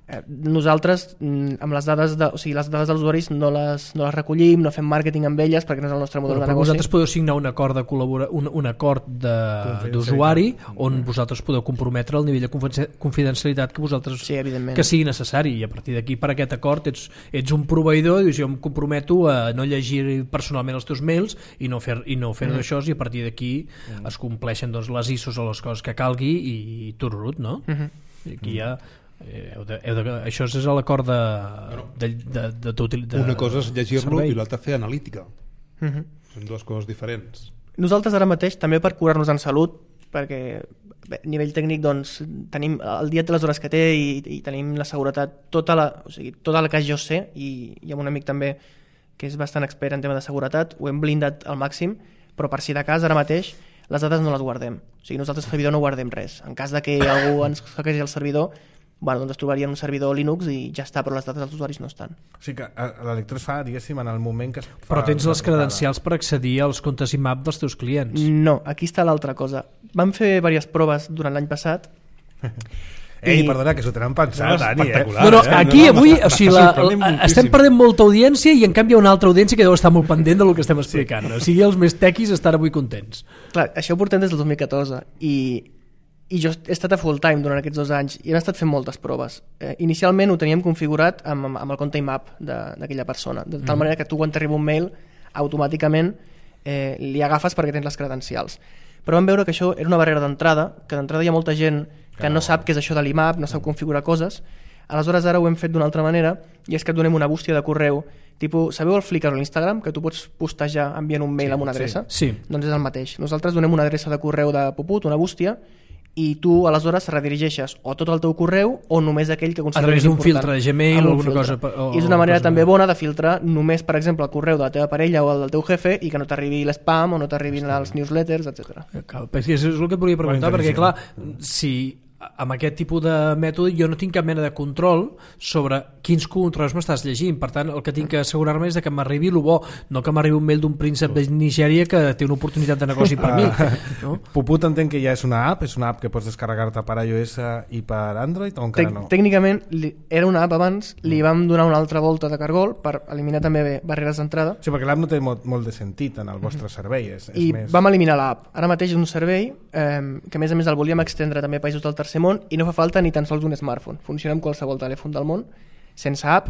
Speaker 5: eh, nosaltres mm, amb les dades de, o sigui, les dades dels usuaris no les, no les recollim, no fem màrqueting amb elles perquè no és el nostre model
Speaker 3: Però,
Speaker 5: de
Speaker 3: però
Speaker 5: negoci.
Speaker 3: vosaltres podeu signar un acord de col·labora, un, un acord de- d'usuari on vosaltres podeu comprometre el nivell de confidencia- confidencialitat que vosaltres
Speaker 5: Sí, evidentment.
Speaker 3: que sigui necessari, i a partir d'aquí per aquest acord ets, ets un proveïdor i dius, jo em comprometo a no llegir personalment els teus mails i no fer, i no fer mm. d'això, i a partir d'aquí mm. es compleixen doncs, les I S Os o les coses que calgui i tururut, no?
Speaker 5: Mm -hmm.
Speaker 3: I aquí ja eh, heu de, heu de, això és l'acord de, de, de, de, de, de
Speaker 1: Una cosa és llegir-lo
Speaker 3: servei.
Speaker 1: i l'altra fer analítica.
Speaker 5: Mm -hmm.
Speaker 1: Són dues coses diferents.
Speaker 5: Nosaltres ara mateix, també per curar-nos en salut, perquè bé, a nivell tècnic doncs, tenim el dia té les hores que té i, i tenim la seguretat, tota la, o sigui, tota la que jo sé, i, i amb un amic també que és bastant expert en tema de seguretat, ho hem blindat al màxim, però per si de cas ara mateix les dades no les guardem. O sigui, nosaltres al servidor no guardem res. En cas de que algú ens hackegi el servidor, bueno, doncs es trobaria en un servidor Linux i ja està, però les dades dels usuaris no estan.
Speaker 2: O sigui que eh, l'electró es fa, diguéssim, en el moment que es fa...
Speaker 3: Però tens
Speaker 2: la
Speaker 3: les
Speaker 2: trucada.
Speaker 3: credencials per accedir als comptes I M A P dels teus clients.
Speaker 5: No, aquí està l'altra cosa. Vam fer diverses proves durant l'any passat.
Speaker 2: Ei,
Speaker 5: I-
Speaker 2: perdona, que s'ho tenen pensat,
Speaker 1: No,
Speaker 2: Dani, eh?
Speaker 1: espectacular.
Speaker 3: No, no,
Speaker 1: eh?
Speaker 3: aquí
Speaker 1: No, no,
Speaker 3: avui
Speaker 1: m'està-
Speaker 3: o sigui,
Speaker 1: m'està
Speaker 3: la,
Speaker 1: sorprenent
Speaker 3: la,
Speaker 1: moltíssim.
Speaker 3: estem perdent molta audiència i en canvi hi ha una altra audiència que deu estar molt pendent del que estem explicant. O sigui, els més tequis estan avui contents.
Speaker 5: Clar, això ho portem des del dos mil catorze i, i jo he estat a full time durant aquests dos anys i hem estat fent moltes proves. Eh, inicialment ho teníem configurat amb, amb, amb el compte I M A P de- d'aquella persona, de tal mm. manera que tu quan t'arriba un mail automàticament eh, li agafes perquè tens les credencials. Però vam veure que això era una barrera d'entrada, que d'entrada hi ha molta gent que no sap què és això de l'I M A P, no sap configurar coses. Aleshores ara ho hem fet d'una altra manera i és que et donem una bústia de correu tipus, sabeu el Flickr o l'Instagram? Que tu pots postejar enviant un mail
Speaker 2: Sí,
Speaker 5: amb una adreça?
Speaker 3: Sí.
Speaker 5: Doncs és el mateix. Nosaltres donem una adreça de correu de Puput, una bústia, i tu aleshores redirigeixes o tot el teu correu o només aquell que
Speaker 3: A
Speaker 5: consideres
Speaker 3: través d'un
Speaker 5: important.
Speaker 3: filtre de Gmail
Speaker 5: Amb
Speaker 3: o
Speaker 5: un
Speaker 3: alguna
Speaker 5: filtre.
Speaker 3: cosa... O,
Speaker 5: I és una manera
Speaker 3: cosa
Speaker 5: també
Speaker 3: de-
Speaker 5: bona de filtrar només, per exemple, el correu de la teva parella o el del teu jefe i que no t'arribi l'spam o no t'arribin els newsletters, etcètera.
Speaker 3: Cal, perquè és el que et volia preguntar,
Speaker 2: Molt
Speaker 3: perquè clar,
Speaker 2: intel·ligent.
Speaker 3: si amb aquest tipus de mètode jo no tinc cap mena de control sobre quins correus m'estàs llegint, per tant el que tinc que assegurar-me és de que m'arribi el bo, no que m'arribi un mail d'un príncep de Nigèria que té una oportunitat de negoci per mi, no?
Speaker 2: Puput entenc que ja és una app, és una app que pots descarregar-te per iOS i per Android o encara
Speaker 5: Tec
Speaker 2: no?
Speaker 5: Tècnicament li, era una app abans, li vam donar una altra volta de cargol per eliminar també barreres d'entrada
Speaker 2: Sí, perquè l'app no té molt, molt de sentit en el vostre servei, és, és
Speaker 5: i
Speaker 2: més...
Speaker 5: vam eliminar l'app. Ara mateix és un servei eh, que a més a més el volíem extendre també a països del tercer món i no fa falta ni tan sols un smartphone. Funciona amb qualsevol telèfon del món, sense app,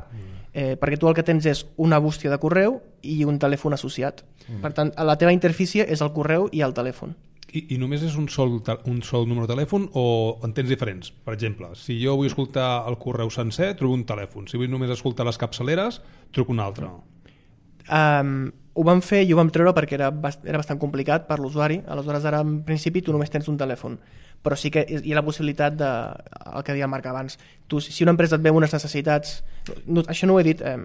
Speaker 5: eh, perquè tu el que tens és una bústia de correu i un telèfon associat. Per tant, la teva interfície és el correu i el telèfon.
Speaker 1: I, I només és un sol, te- un sol número de telèfon o en tens diferents? Per exemple, si jo vull escoltar el correu sencer, trobo un telèfon. Si vull només escoltar les capçaleres, truco un altre.
Speaker 5: Um, ho vam fer i ho vam treure perquè era, bast era bastant complicat per l'usuari. Aleshores, ara en principi tu només tens un telèfon, però sí que hi ha la possibilitat de, el que deia el Marc abans, tu, si una empresa et veu unes necessitats, no, això no ho he dit, eh,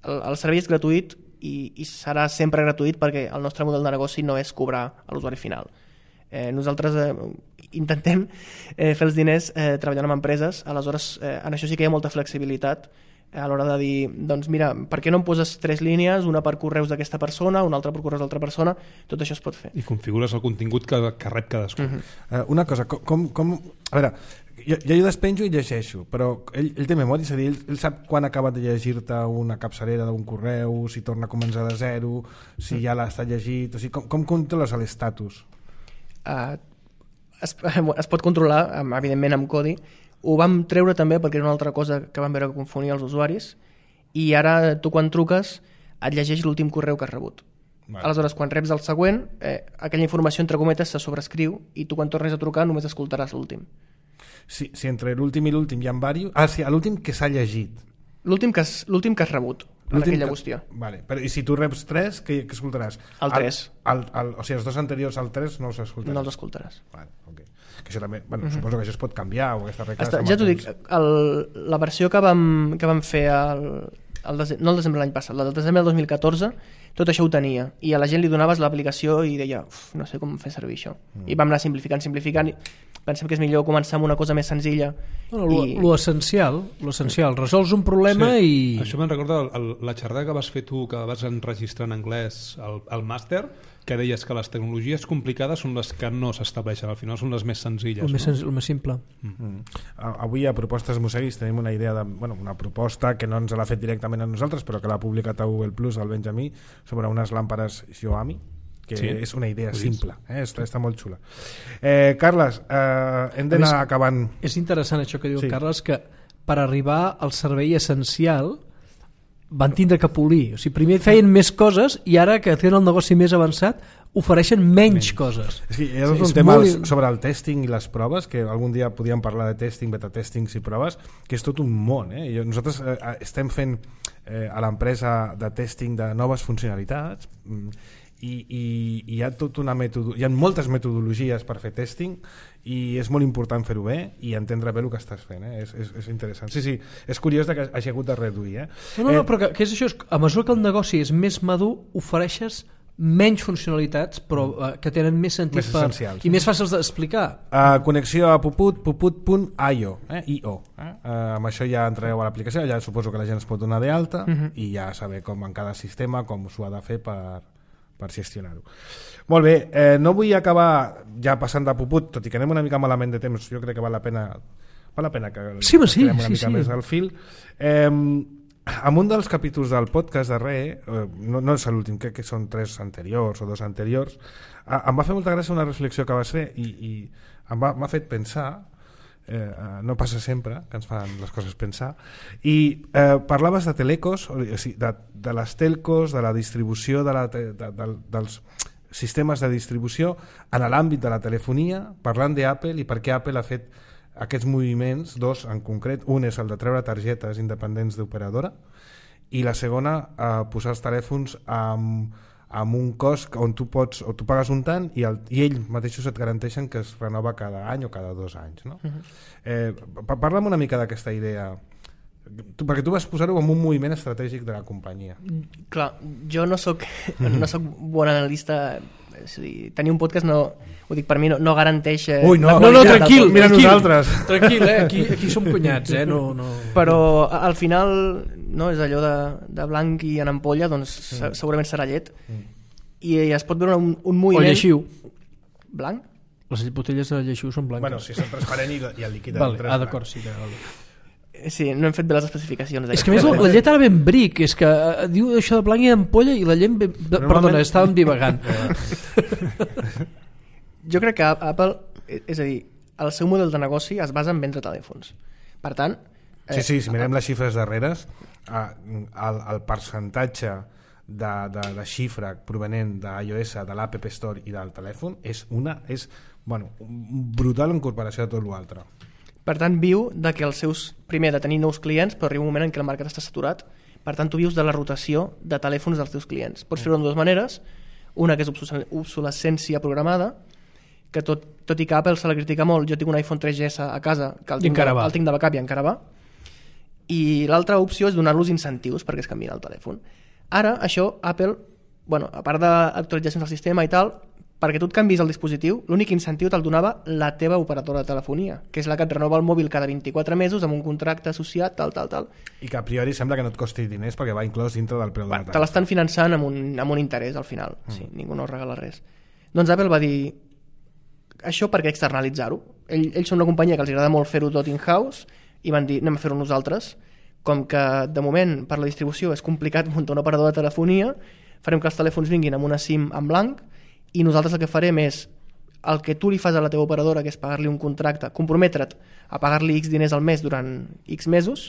Speaker 5: el, el servei és gratuït i, i serà sempre gratuït perquè el nostre model de negoci no és cobrar a l'usuari final. Eh, nosaltres eh, intentem eh, fer els diners eh, treballant amb empreses, aleshores eh, en això sí que hi ha molta flexibilitat a l'hora de dir, doncs mira, per què no em poses tres línies, una per correus d'aquesta persona, una altra per correus d'altra persona, tot això es pot fer.
Speaker 1: I configures el contingut que, que rep cadascú.
Speaker 5: Mhm.
Speaker 2: Uh, una cosa, com, com, com... A veure, jo, jo despenjo i llegeixo, però ell, ell té memòria, és a dir, ell, ell sap quan ha acabat de llegir-te una capçalera d'un correu, si torna a començar de zero, si ja l'ha estat llegit, o sigui, com, com controles l'estatus?
Speaker 5: Uh, es, es pot controlar, evidentment, amb codi. Ho vam treure també perquè era una altra cosa que vam veure que confonia els usuaris, i ara tu quan truques et llegeix l'últim correu que has rebut. Vale. Aleshores, quan reps el següent, eh, aquella informació entre cometes se sobrescriu i tu quan tornes a trucar només escoltaràs l'últim.
Speaker 2: Si, si entre l'últim i l'últim hi ha diversos... Ah, sí, l'últim que s'ha llegit.
Speaker 5: L'últim que, has, l'últim que has rebut en aquella qüestió.
Speaker 2: Vale. Però, i si tu reps tres, què, què escoltaràs?
Speaker 5: El tres.
Speaker 2: El, el, el, o sigui, els dos anteriors al tres no els escoltaràs?
Speaker 5: No els escoltaràs.
Speaker 2: Vale, okay. Que això també, bueno, uh-huh. Suposo que això es pot canviar o aquesta regla...
Speaker 5: Està, ja t'ho dic, el, la versió que vam, que vam fer el, el desembre, no el desembre l'any passat, el desembre del dos mil catorze, tot això ho tenia, i a la gent li donaves l'aplicació i deia, no sé com fer servir això. Mm. I vam anar simplificant, simplificant, i pensem que és millor començar amb una cosa més senzilla.
Speaker 3: Bueno, i... Lo essencial, lo essencial, resols un problema sí. i...
Speaker 1: Això me'n recorda el, el, la xerrada que vas fer tu, que vas enregistrar en anglès al, al màster, que deies que les tecnologies complicades són les que no s'estableixen, al final són les més senzilles.
Speaker 3: El,
Speaker 1: no?
Speaker 3: més, senz... el més simple.
Speaker 2: Mm. Avui a Propostes Moseguis tenim una idea de, bueno, una proposta que no ens l'ha fet directament a nosaltres, però que l'ha publicat a Google Plus, al Benjamí, sobre unes làmpades Xiaomi, que sí, és una idea simple, eh? està, està molt xula. Eh, Carles, eh, hem d'anar acabant.
Speaker 3: És interessant això que diu
Speaker 2: sí.
Speaker 3: Carles, que per arribar al servei essencial van tindre que polir, o sigui, primer feien més coses i ara que tenen el negoci més avançat ofereixen menys, menys. coses.
Speaker 2: És que hi ha tot sí, un tema molt... sobre el testing i les proves, que algun dia podíem parlar de testing, beta-testings i proves, que és tot un món. Eh? I nosaltres eh, estem fent eh, a l'empresa de testing de noves funcionalitats i, i, i hi ha tot una metodo... hi ha moltes metodologies per fer testing i és molt important fer-ho bé i entendre bé el que estàs fent, eh? és, és, és interessant. Sí, sí, és curiós que hagi hagut de reduir. Eh?
Speaker 3: No, no, eh... no, però que, que és això, a mesura que el negoci és més madur, ofereixes menys funcionalitats però uh, que tenen més sentit
Speaker 2: més
Speaker 3: per, i més fàcils d'explicar.
Speaker 2: Uh, connexió a puput, puput punt i o, eh? I O. Eh? Uh, amb això ja entreu a l'aplicació, ja suposo que la gent es pot donar d'alta uh-huh. i ja saber com en cada sistema com s'ho ha de fer per per gestionar-ho. Molt bé, eh, no vull acabar ja passant de puput, tot i que anem una mica malament de temps, jo crec que val la pena val la pena que
Speaker 3: sí, sí,
Speaker 2: una
Speaker 3: sí,
Speaker 2: mica
Speaker 3: sí.
Speaker 2: més al fil. Eh, en un dels capítols del podcast darrer, eh, no, no és l'últim, crec que són tres anteriors o dos anteriors, eh, em va fer molta gràcia una reflexió que vas fer i, i em va, m'ha fet pensar. Eh, no passa sempre que ens fan les coses pensar i eh, parlaves de telecos o sigui, de, de les telcos, de la distribució de la te, de, de, dels sistemes de distribució en l'àmbit de la telefonia, parlant d'Apple i per què Apple ha fet aquests moviments, dos en concret, un és el de treure targetes independents d'operadora i la segona eh, posar els telèfons amb amb un cost on tu pots o tu pagues un tant i, el, i ells mateixos et garanteixen que es renova cada any o cada dos anys, no? Uh-huh. eh, Parla'm una mica d'aquesta idea tu, perquè tu vas posar-ho en un moviment estratègic de la companyia.
Speaker 5: Clar, jo no soc no soc bon analista, és a dir, tenir un podcast no, ho dic per mi, no, no garanteix eh,
Speaker 2: Ui, no,
Speaker 3: no, no, tranquil,
Speaker 2: mira
Speaker 3: tranquil,
Speaker 2: nosaltres
Speaker 3: tranquil, eh? aquí, aquí som cunyats, eh? no, no...
Speaker 5: però al final no, és allò de, de blanc i en ampolla, doncs mm. segurament serà llet mm. i es pot veure un, un moviment...
Speaker 3: O lleixiu.
Speaker 5: Blanc?
Speaker 3: Les botelles de lleixiu són blanques.
Speaker 2: Bueno, si són transparent i, i el líquid
Speaker 3: vale, ah, d'acord, sí, vale.
Speaker 5: Sí, no hem fet bé les especificacions.
Speaker 3: És que més la, la llet ara ben bric, és que uh, diu això de blanc i d'ampolla i la llet... Ben, de, perdona, estàvem divagant.
Speaker 5: Jo crec que Apple, és a dir, el seu model de negoci es basa en vendre telèfons. Per tant...
Speaker 2: Eh, sí, sí, si mirem les xifres darreres, eh, el, el percentatge de, de, de xifra provenent d'iOS, de l'App Store i del telèfon és una és bueno, brutal en comparació a tot l'altre.
Speaker 5: Per tant, viu de que els seus, primer, de tenir nous clients, però arriba un moment en què el mercat està saturat. Per tant, tu vius de la rotació de telèfons dels teus clients. Pots fer-ho de dues maneres. Una, que és obsolescència programada, que tot, tot i que Apple se la critica molt, jo tinc un iPhone tres G S a casa, que el tinc, de, el tinc de backup i encara va. I l'altra opció és donar-los incentius perquè es canviïn el telèfon. Ara, això, Apple, bueno, a part d'actualitzacions del sistema i tal, perquè tu et canvis el dispositiu, l'únic incentiu te'l donava la teva operadora de telefonia, que és la que et renova el mòbil cada vint-i-quatre mesos amb un contracte associat, tal, tal, tal.
Speaker 2: I que a priori sembla que no et costi diners perquè va inclòs dintre del preu de la taxa.
Speaker 5: Te l'estan finançant amb un, amb un interès al final, mm. sí, ningú no regala res. Doncs Apple va dir, això per què externalitzar-ho? Ell, ells són una companyia que els agrada molt fer-ho tot in-house i van dir, anem a fer-ho nosaltres. Com que de moment per la distribució és complicat muntar un operador de telefonia, farem que els telèfons vinguin amb una SIM en blanc i nosaltres el que farem és el que tu li fas a la teva operadora, que és pagar-li un contracte, comprometre't a pagar-li X diners al mes durant X mesos,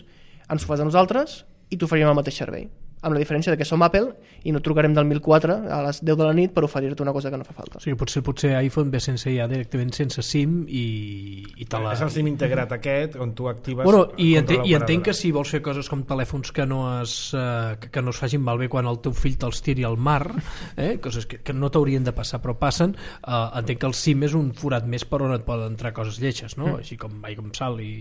Speaker 5: ens ho fas a nosaltres i t'oferirem el mateix servei. Amb la diferència de que som Apple i no trucarem del mil quatre a les deu de la nit per oferir-te una cosa que no fa falta.
Speaker 3: O sigui, potser, potser iPhone ve sense ja directament sense SIM i, i te la...
Speaker 2: És el SIM integrat aquest on tu actives...
Speaker 3: Bueno, i, entenc, i entenc que si vols fer coses com telèfons que no es, uh, que, que no es facin malbé quan el teu fill te'ls tiri al mar, eh? Coses que, que no t'haurien de passar però passen, uh, entenc que el SIM és un forat més per on et poden entrar coses lletges, no? Mm. Així com aigua amb sal i...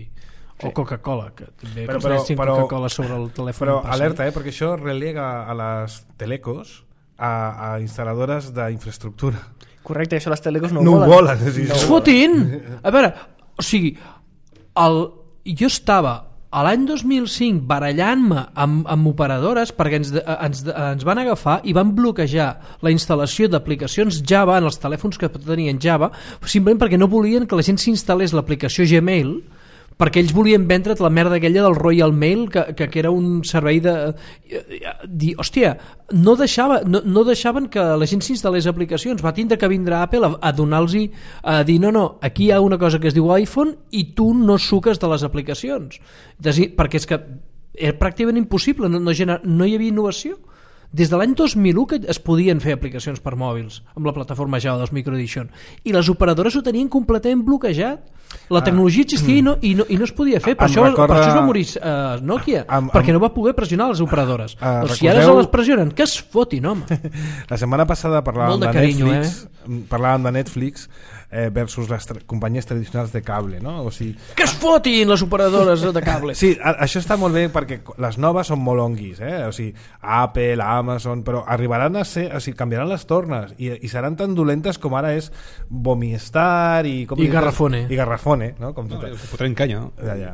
Speaker 3: o Coca-Cola, que també però, però, però, Coca-Cola sobre el telèfon.
Speaker 2: Però alerta, eh, perquè això relega a les telecos a, a instal·ladores d'infraestructura.
Speaker 5: Correcte, això les telecos no,
Speaker 2: no
Speaker 5: ho
Speaker 2: volen.
Speaker 5: volen.
Speaker 2: Sí,
Speaker 3: no es fotin! A veure, o sigui, el, jo estava a l'any dos mil cinc barallant-me amb, amb operadores perquè ens, ens, ens van agafar i van bloquejar la instal·lació d'aplicacions Java en els telèfons que tenien Java, simplement perquè no volien que la gent s'instal·lés l'aplicació Gmail, perquè ells volien vendre't la merda aquella del Royal Mail, que, que, que era un servei de... Dir, hòstia, no, deixava, no, no deixaven que la gent s'instal·lés aplicacions, va tindre que vindre Apple a, a donar-los, a dir, no, no, aquí hi ha una cosa que es diu iPhone i tu no suques de les aplicacions. Desi, perquè és que era pràcticament impossible, no, no, gener, no hi havia innovació. Des de l'any dos mil u que es podien fer aplicacions per mòbils amb la plataforma Java dels Microedition i les operadores ho tenien completament bloquejat. La tecnologia existia ah, i, no, i, no, i no es podia fer, per, això, recorda... per això es va morir uh, Nokia, am, am, perquè no va poder pressionar les operadores. Uh, o si ara se les pressionen, que es fotin, home. La
Speaker 2: setmana passada parlàvem de, de carinyo, Netflix, eh? parlàvem de Netflix eh, versus les tra companyies tradicionals de cable, no? O sigui,
Speaker 3: que es fotin les operadores de cable.
Speaker 2: Sí, a, això està molt bé perquè les noves són molt onguis, eh? O sigui, Apple, Amazon, però arribaran a ser, o sigui, canviaran les tornes i, i seran tan dolentes com ara és Bomistar i... Com
Speaker 3: I Garrafone.
Speaker 2: I Garrafone, no? Com
Speaker 1: no, ho fotrem canya, no?
Speaker 2: Ja, ja.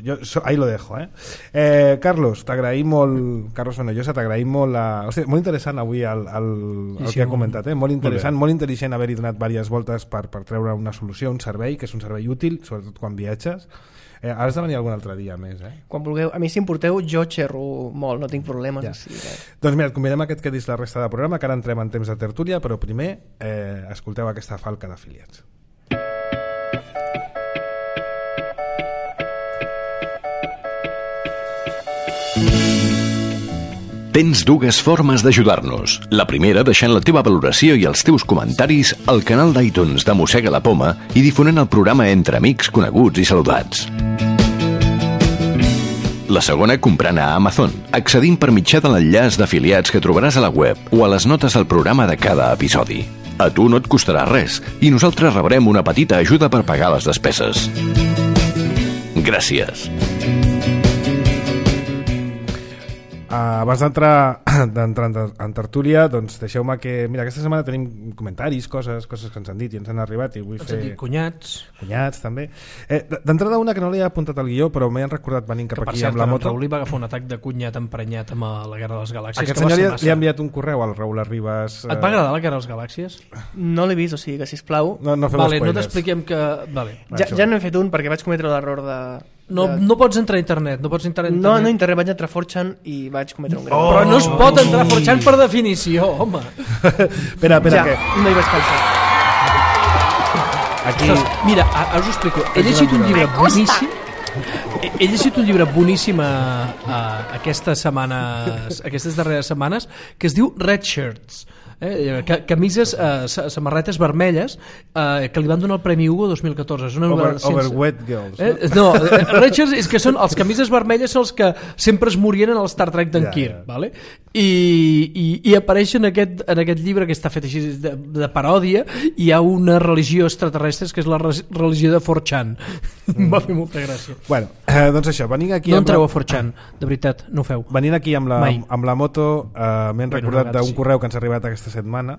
Speaker 2: Jo, so, ahí lo dejo, eh? eh Carlos, t'agraïm molt, Carlos Fenollosa, t'agraïm molt la... Hòstia, molt interessant avui el, el, el sí, que ha comentat, eh? Molt interessant, molt, molt intel·ligent haver-hi donat diverses voltes per, per treure una solució, un servei, que és un servei útil, sobretot quan viatges. Eh, has de venir algun altre dia més, eh?
Speaker 5: Quan vulgueu. A mi, si em porteu, jo xerro molt, no tinc problemes.
Speaker 2: Ja.
Speaker 5: Sí, eh?
Speaker 2: Doncs mira, et convidem a que et quedis la resta de programa, que ara entrem en temps de tertúlia, però primer eh, escolteu aquesta falca d'afiliats.
Speaker 4: Tens dues formes d'ajudar-nos. La primera, deixant la teva valoració i els teus comentaris al canal d'iTunes de Mossega la Poma i difonent el programa entre amics, coneguts i saludats. La segona, comprant a Amazon, accedint per mitjà de l'enllaç d'afiliats que trobaràs a la web o a les notes del programa de cada episodi. A tu no et costarà res i nosaltres rebrem una petita ajuda per pagar les despeses. Gràcies.
Speaker 2: Uh, abans d'entrar d'entrar en tertúlia, doncs deixeu-me que... Mira, aquesta setmana tenim comentaris, coses coses que ens han dit i ens han arribat i vull
Speaker 3: ens
Speaker 2: fer...
Speaker 3: han dit cunyats.
Speaker 2: Cunyats, també. Eh, D'entrada una que no li he apuntat al guió, però m'he recordat venint cap
Speaker 3: que,
Speaker 2: aquí
Speaker 3: cert,
Speaker 2: amb la moto.
Speaker 3: En Raül li va agafar un atac de cunyat emprenyat amb la Guerra de les Galàxies.
Speaker 2: Aquest senyor li, li ha enviat un correu al Raül Arribas.
Speaker 3: Et va agradar la Guerra de les Galàxies?
Speaker 5: No l'he vist, o sigui que, sisplau...
Speaker 2: No, no fem
Speaker 3: vale,
Speaker 2: spoilers.
Speaker 3: No t'expliquem que... Vale.
Speaker 5: Ja, ja no he fet un perquè vaig cometre l'error de...
Speaker 3: No, no pots entrar a internet, no pots entrar a internet.
Speaker 5: No, no internet, vaig entrar a four chan i vaig cometre un greu.
Speaker 3: Oh! Però no es pot entrar a four chan per definició, home.
Speaker 2: espera, espera,
Speaker 5: ja,
Speaker 2: que...
Speaker 5: no hi vaig pensar.
Speaker 3: Aquí... Ostres, mira, ara us ho explico. He llegit un llibre boníssim. He llegit un llibre boníssim a, a aquestes setmanes, aquestes darreres setmanes, que es diu Red Shirts. Eh, camises, eh, samarretes vermelles eh, que li van donar el Premi Hugo dos mil catorze. És una
Speaker 2: Over,
Speaker 3: sense...
Speaker 2: Overweight Girls, no?
Speaker 3: Eh, no, Richards és que són els camises vermelles són els que sempre es morien en el Star Trek d'en ja, Kirk, ja. Vale? I, i, i apareix en aquest, en aquest llibre que està fet així de, de paròdia. Hi ha una religió extraterrestre que és la religió de four chan. Mm. Va fer molta gràcia.
Speaker 2: Bueno, eh, doncs això, venint aquí...
Speaker 3: No entreu
Speaker 2: la...
Speaker 3: a four chan, de veritat, no ho feu.
Speaker 2: Venint aquí amb la,
Speaker 3: Mai.
Speaker 2: amb la moto, eh, m'he recordat d'un
Speaker 3: sí.
Speaker 2: correu que ens ha arribat aquesta setmana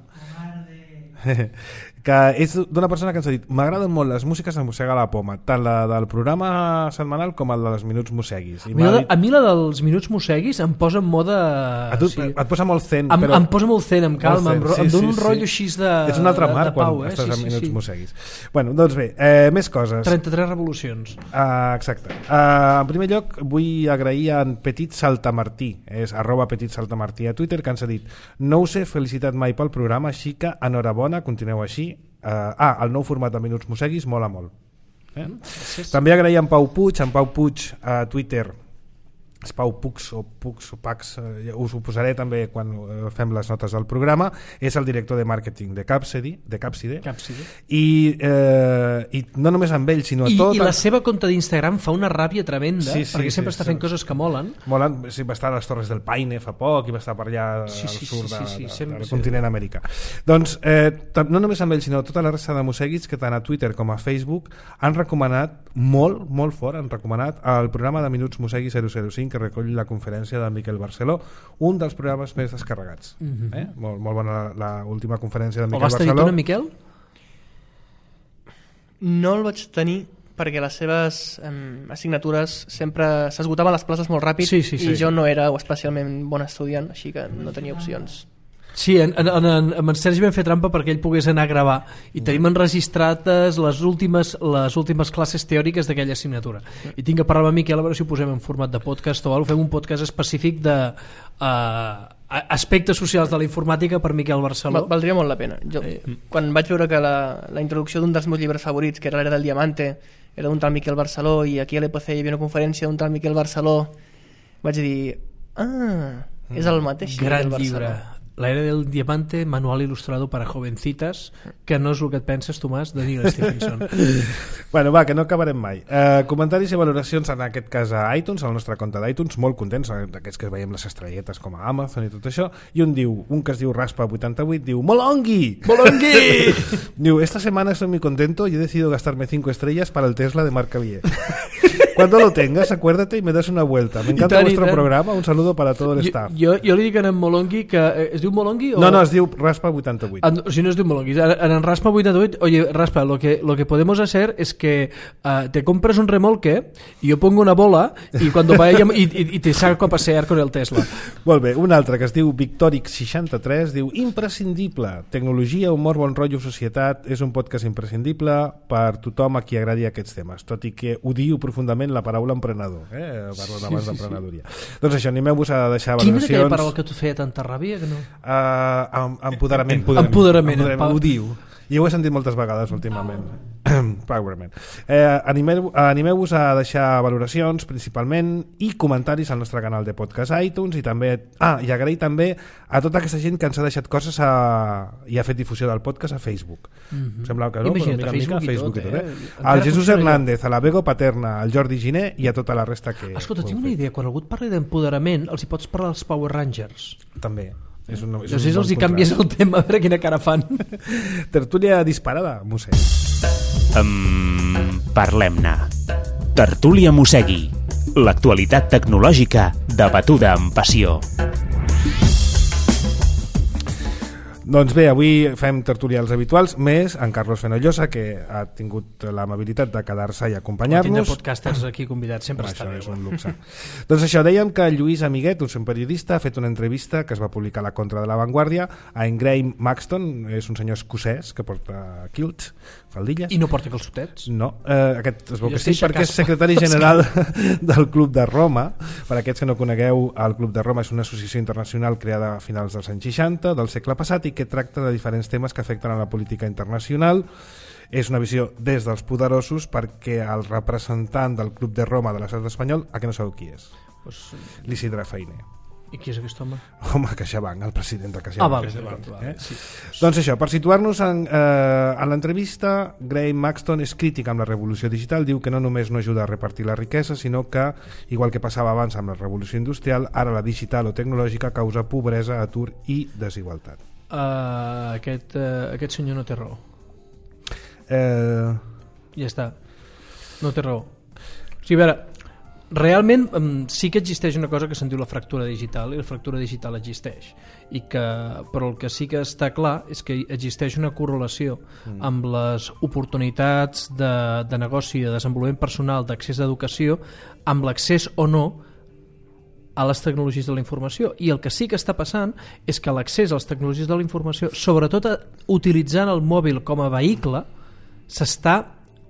Speaker 2: que és d'una persona que ens ha dit: m'agraden molt les músiques de Mossega la Poma, tant la del programa setmanal com el dels Minuts Mosseguis. I
Speaker 3: a, mi la,
Speaker 2: dit...
Speaker 3: a mi la dels Minuts Mosseguis em posa en mode...
Speaker 2: A tu, sí. Et posa molt zen,
Speaker 3: em,
Speaker 2: però...
Speaker 3: Em posa molt zen, em calma, zen, em, sí, em dona sí, un rotllo així de,
Speaker 2: és un altre mar
Speaker 3: de, de pau,
Speaker 2: quan
Speaker 3: eh?
Speaker 2: estàs
Speaker 3: sí,
Speaker 2: en
Speaker 3: sí,
Speaker 2: Minuts
Speaker 3: sí.
Speaker 2: Mosseguis. Bueno, doncs bé, eh, més coses.
Speaker 3: trenta-tres revolucions.
Speaker 2: Uh, exacte. Uh, en primer lloc, vull agrair a en Petit Saltamartí, és arroba Petit Saltamartí a Twitter, que ens ha dit: no us he felicitat mai pel programa, així que enhorabona, continueu així. Uh, ah, el nou format de Minuts Mosseguis mola molt. Eh? Sí, sí. També agrair en Pau Puig, en Pau Puig a Twitter, és Pau Puig o Puig o Pax, eh, us ho posaré també quan eh, fem les notes del programa. És el director de màrqueting de Capsidi, de Capside,
Speaker 3: Capside.
Speaker 2: I, eh, i no només amb ell sinó a
Speaker 3: I,
Speaker 2: tot
Speaker 3: i la
Speaker 2: el...
Speaker 3: seva compte d'Instagram fa una ràbia tremenda,
Speaker 2: sí, sí,
Speaker 3: perquè sempre
Speaker 2: sí,
Speaker 3: està
Speaker 2: sí,
Speaker 3: fent
Speaker 2: sí.
Speaker 3: coses que molen.
Speaker 2: Molen, sí, va estar a les Torres del Paine fa poc i va estar per allà
Speaker 3: sí, sí,
Speaker 2: al sud
Speaker 3: sí, sí, sí,
Speaker 2: de,
Speaker 3: sempre,
Speaker 2: del
Speaker 3: sí.
Speaker 2: continent americà. Doncs eh, no només amb ell sinó tota la resta de mosseguits que tant a Twitter com a Facebook han recomanat molt, molt fort, han recomanat el programa de Minuts Mossegui zero zero cinc, que recull la conferència de Miquel Barceló, un dels programes més descarregats. Mm-hmm. eh? molt, molt bona l'última conferència de Miquel
Speaker 3: Barceló. O vas tenir tu, Miquel?
Speaker 5: No el vaig tenir perquè les seves um, assignatures sempre s'esgotaven les places molt ràpid,
Speaker 3: sí, sí, sí.
Speaker 5: i jo no era especialment bon estudiant, així que no tenia opcions.
Speaker 3: Sí, en, en, en, en Sergi vam fer trampa perquè ell pogués anar a gravar i tenim enregistrades les últimes, les últimes classes teòriques d'aquella assignatura. I tinc que parlar amb Miquel a veure si ho posem en format de podcast o alguna cosa. Fem un podcast específic de uh, aspectes socials de la informàtica per Miquel Barceló.
Speaker 5: Val, valdria molt la pena. Jo, eh. Quan vaig veure que la, la introducció d'un dels meus llibres favorits, que era l'Era del Diamante, era d'un tal Miquel Barceló, i aquí a l'E P C hi havia una conferència d'un tal Miquel Barceló, vaig dir: ah, és el mateix
Speaker 3: Gran
Speaker 5: Miquel
Speaker 3: llibre.
Speaker 5: Barceló.
Speaker 3: La Era del Diamante, manual ilustrado para jovencitas, que no és el que et penses, Tomàs, de Neil Stephenson.
Speaker 2: Bueno, va, que no acabarem mai. Uh, comentaris i valoracions, en aquest cas a iTunes, al nostre compte d'iTunes, molt contents, d'aquests que veiem les estrelletes com a Amazon i tot això, i un diu, un que es diu Raspa vuitanta-vuit, diu: ¡Molongui!
Speaker 3: ¡Molongui!
Speaker 2: Diu: esta semana estoy muy contento y he decidido gastarme cinco estrellas para el Tesla de Marc Cavier. Cuando lo tengas, acuérdate y me das una vuelta. Me encanta vuestro programa, un saludo para todo el staff.
Speaker 3: Jo, jo li dic a en Molongui que... Eh, es diu Molongui o...?
Speaker 2: No, no, es diu Raspa vuitanta-vuit.
Speaker 3: En, o sigui, no es diu Molongui. En, en Raspa vuitanta-vuit, oye, Raspa, lo que, lo que podemos hacer es que uh, te compras un remolque y yo pongo una bola y cuando vaya y, y, y te saco a pasear con el Tesla.
Speaker 2: Molt bé, un altre que es diu Victoric seixanta-tres, diu: imprescindible, tecnologia, humor, bon rotllo, societat, és un podcast imprescindible per tothom a qui agradi aquests temes, tot i que odio profundament la paraula emprenedor, eh? Parlant abans sí, sí, d'emprenedoria. Sí. Doncs això, animeu-vos a deixar valoracions.
Speaker 3: Quina era aquella paraula que tu feia tanta ràbia que no?
Speaker 2: Uh, empoderament.
Speaker 3: Empoderament. Empoderament.
Speaker 2: Empoderament. Ho diu. I ho he sentit moltes vegades últimament. Powerman. Eh, animeu, animeu-vos a deixar valoracions principalment i comentaris al nostre canal de podcast iTunes, i també, ah, i agrair també a tota aquesta gent que ens ha deixat coses a, i ha fet difusió del podcast a Facebook. Mm-hmm. Sembla que no,
Speaker 3: imagina't,
Speaker 2: però mica,
Speaker 3: Facebook,
Speaker 2: mica, Facebook i tot, eh?
Speaker 3: eh?
Speaker 2: Al Jesús Hernández, a la Bego Paterna, al Jordi Giner i a tota la resta que...
Speaker 3: Escolta, tinc una idea, quan algú et parli d'empoderament els hi pots parlar dels Power Rangers.
Speaker 2: També. És un, és
Speaker 3: no sé si els hi canvies el tema, a veure quina cara fan.
Speaker 2: Tertúlia disparada, Mossegui.
Speaker 6: Um, Parlem-ne. Tertúlia Mossegui. L'actualitat tecnològica debatuda amb passió.
Speaker 2: Doncs bé, avui fem tertulials habituals, més en Carlos Fenollosa, que ha tingut l'amabilitat de quedar-se i acompanyar-nos.
Speaker 3: Tindre podcasters aquí convidats, sempre
Speaker 2: això
Speaker 3: està bé.
Speaker 2: És un luxe. Doncs això, dèiem que Lluís Amiguet, un periodista, ha fet una entrevista que es va publicar a la Contra de la Vanguardia a en Graham Maxton, és un senyor escocès que porta kilts, faldilles.
Speaker 3: I no porta calçotets?
Speaker 2: No, eh, aquest es veu
Speaker 3: I
Speaker 2: que sí, perquè és secretari general del Club de Roma. Per aquests que no conegueu, el Club de Roma és una associació internacional creada a finals dels anys seixanta del segle passat i que tracta de diferents temes que afecten a la política internacional. És una visió des dels poderosos, perquè el representant del Club de Roma de l'estat espanyol, a que no sabeu qui és?
Speaker 3: Pues...
Speaker 2: L'Isidre Feiner.
Speaker 3: I qui és aquest home?
Speaker 2: Home, CaixaBank, el president de CaixaBank.
Speaker 3: Ah, vale, vale, vale,
Speaker 2: eh?
Speaker 3: sí.
Speaker 2: Doncs això, per situar-nos en, eh, en l'entrevista, Graham Maxton és crític amb la revolució digital, diu que no només no ajuda a repartir la riquesa, sinó que, igual que passava abans amb la revolució industrial, ara la digital o tecnològica causa pobresa, atur i desigualtat.
Speaker 3: Uh, aquest, uh, aquest senyor no té raó.
Speaker 2: Eh...
Speaker 3: Ja està. No té raó. O sigui, a veure, realment sí que existeix una cosa que se'n diu la fractura digital, i la fractura digital existeix, i que, però el que sí que està clar és que existeix una correlació mm. amb les oportunitats de, de negoci, de desenvolupament personal, d'accés a educació, amb l'accés o no a les tecnologies de la informació. I el que sí que està passant és que l'accés a les tecnologies de la informació, sobretot utilitzant el mòbil com a vehicle, s'està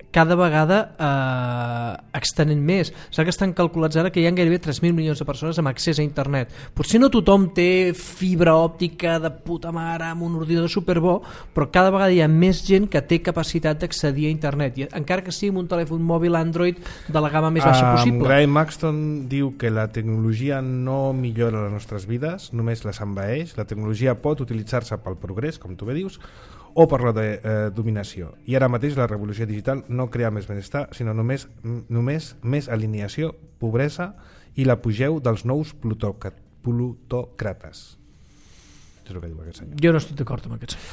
Speaker 3: cada vegada eh, extenent més. Saps que estan calculats ara que hi ha gairebé tres mil milions de persones amb accés a internet. Potser no tothom té fibra òptica de puta mare amb un ordinador superbo, però cada vegada hi ha més gent que té capacitat d'accedir a internet, i encara que sigui amb un telèfon mòbil Android de la gamma més baixa possible.
Speaker 2: Um, Graham Maxton diu que la tecnologia no millora les nostres vides, només les envaeix. La tecnologia pot utilitzar-se pel progrés, com tu bé dius, o per la de, eh, dominació. I ara mateix la revolució digital no crea més benestar, sinó només, només més alineació, pobresa i l'apogeu dels nous plutòcrates. És el que diu aquest senyor.
Speaker 3: Jo no estic d'acord amb aquest senyor.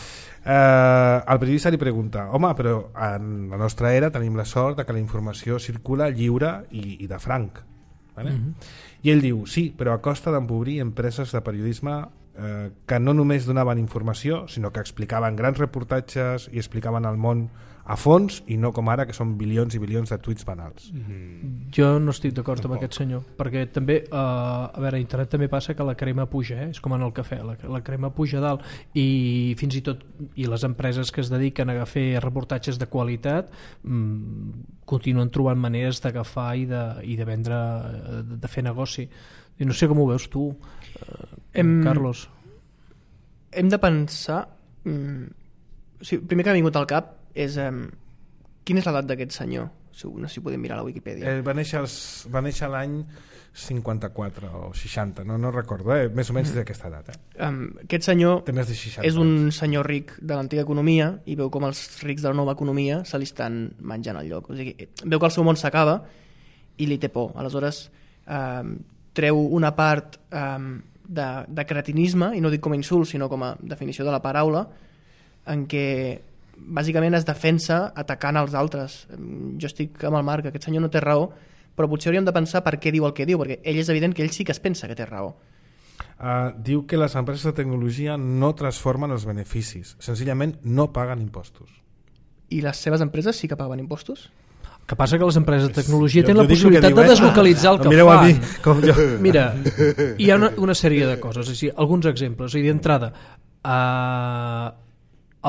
Speaker 2: Eh, el periodista li pregunta: home, però en la nostra era tenim la sort de que la informació circula lliure i, i de franc. Vale? Mm-hmm. I ell diu: sí, però a costa d'empobrir empreses de periodisme eh, que no només donaven informació, sinó que explicaven grans reportatges i explicaven el món a fons, i no com ara que són bilions i bilions de tuits banals.
Speaker 3: Mm. Jo no estic d'acord amb aquest senyor, perquè també eh, a veure, a internet també passa que la crema puja, eh? És com en el cafè, la, la crema puja dalt, i fins i tot i les empreses que es dediquen a fer reportatges de qualitat mmm, continuen trobant maneres d'agafar i, de, i de vendre, de, de fer negoci. I no sé com ho veus tu, eh, hem, Carlos.
Speaker 5: Hem de pensar, mm, o sigui, primer que ha vingut al cap és um, quina és l'edat d'aquest senyor? No sé si podem mirar a la Wikipedia.
Speaker 2: Eh, va néixer, els, va néixer l'any cinquanta-quatre o seixanta, no, no recordo, eh? Més o menys d'aquesta edat. Eh?
Speaker 5: Um, aquest senyor
Speaker 2: té més de seixanta
Speaker 5: és un senyor ric de l'antiga economia, i veu com els rics de la nova economia se li estan menjant el lloc. O sigui, veu que el seu món s'acaba i li té por. Aleshores um, treu una part um, de, de cretinisme, i no dic com a insult sinó com a definició de la paraula, en què bàsicament es defensa atacant els altres. Jo estic amb el Marc, aquest senyor no té raó, però potser hauríem de pensar per què diu el que diu, perquè ell és evident que ell sí que es pensa que té raó.
Speaker 2: Uh, diu que les empreses de tecnologia no transformen els beneficis, senzillament no paguen impostos.
Speaker 5: I les seves empreses sí que paguen impostos?
Speaker 3: El que passa que les empreses de tecnologia
Speaker 2: jo,
Speaker 3: tenen
Speaker 2: jo
Speaker 3: la possibilitat
Speaker 2: diu,
Speaker 3: de deslocalitzar ah, el que
Speaker 2: mireu
Speaker 3: fan.
Speaker 2: A mi, com jo.
Speaker 3: Mira, hi ha una, una sèrie de coses, és a dir, alguns exemples. I d'entrada, uh,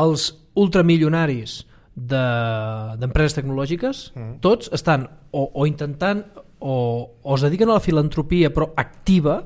Speaker 3: els ultramilionaris d'empreses de, tecnològiques, mm. tots estan o, o intentant o, o es dediquen a la filantropia però activa,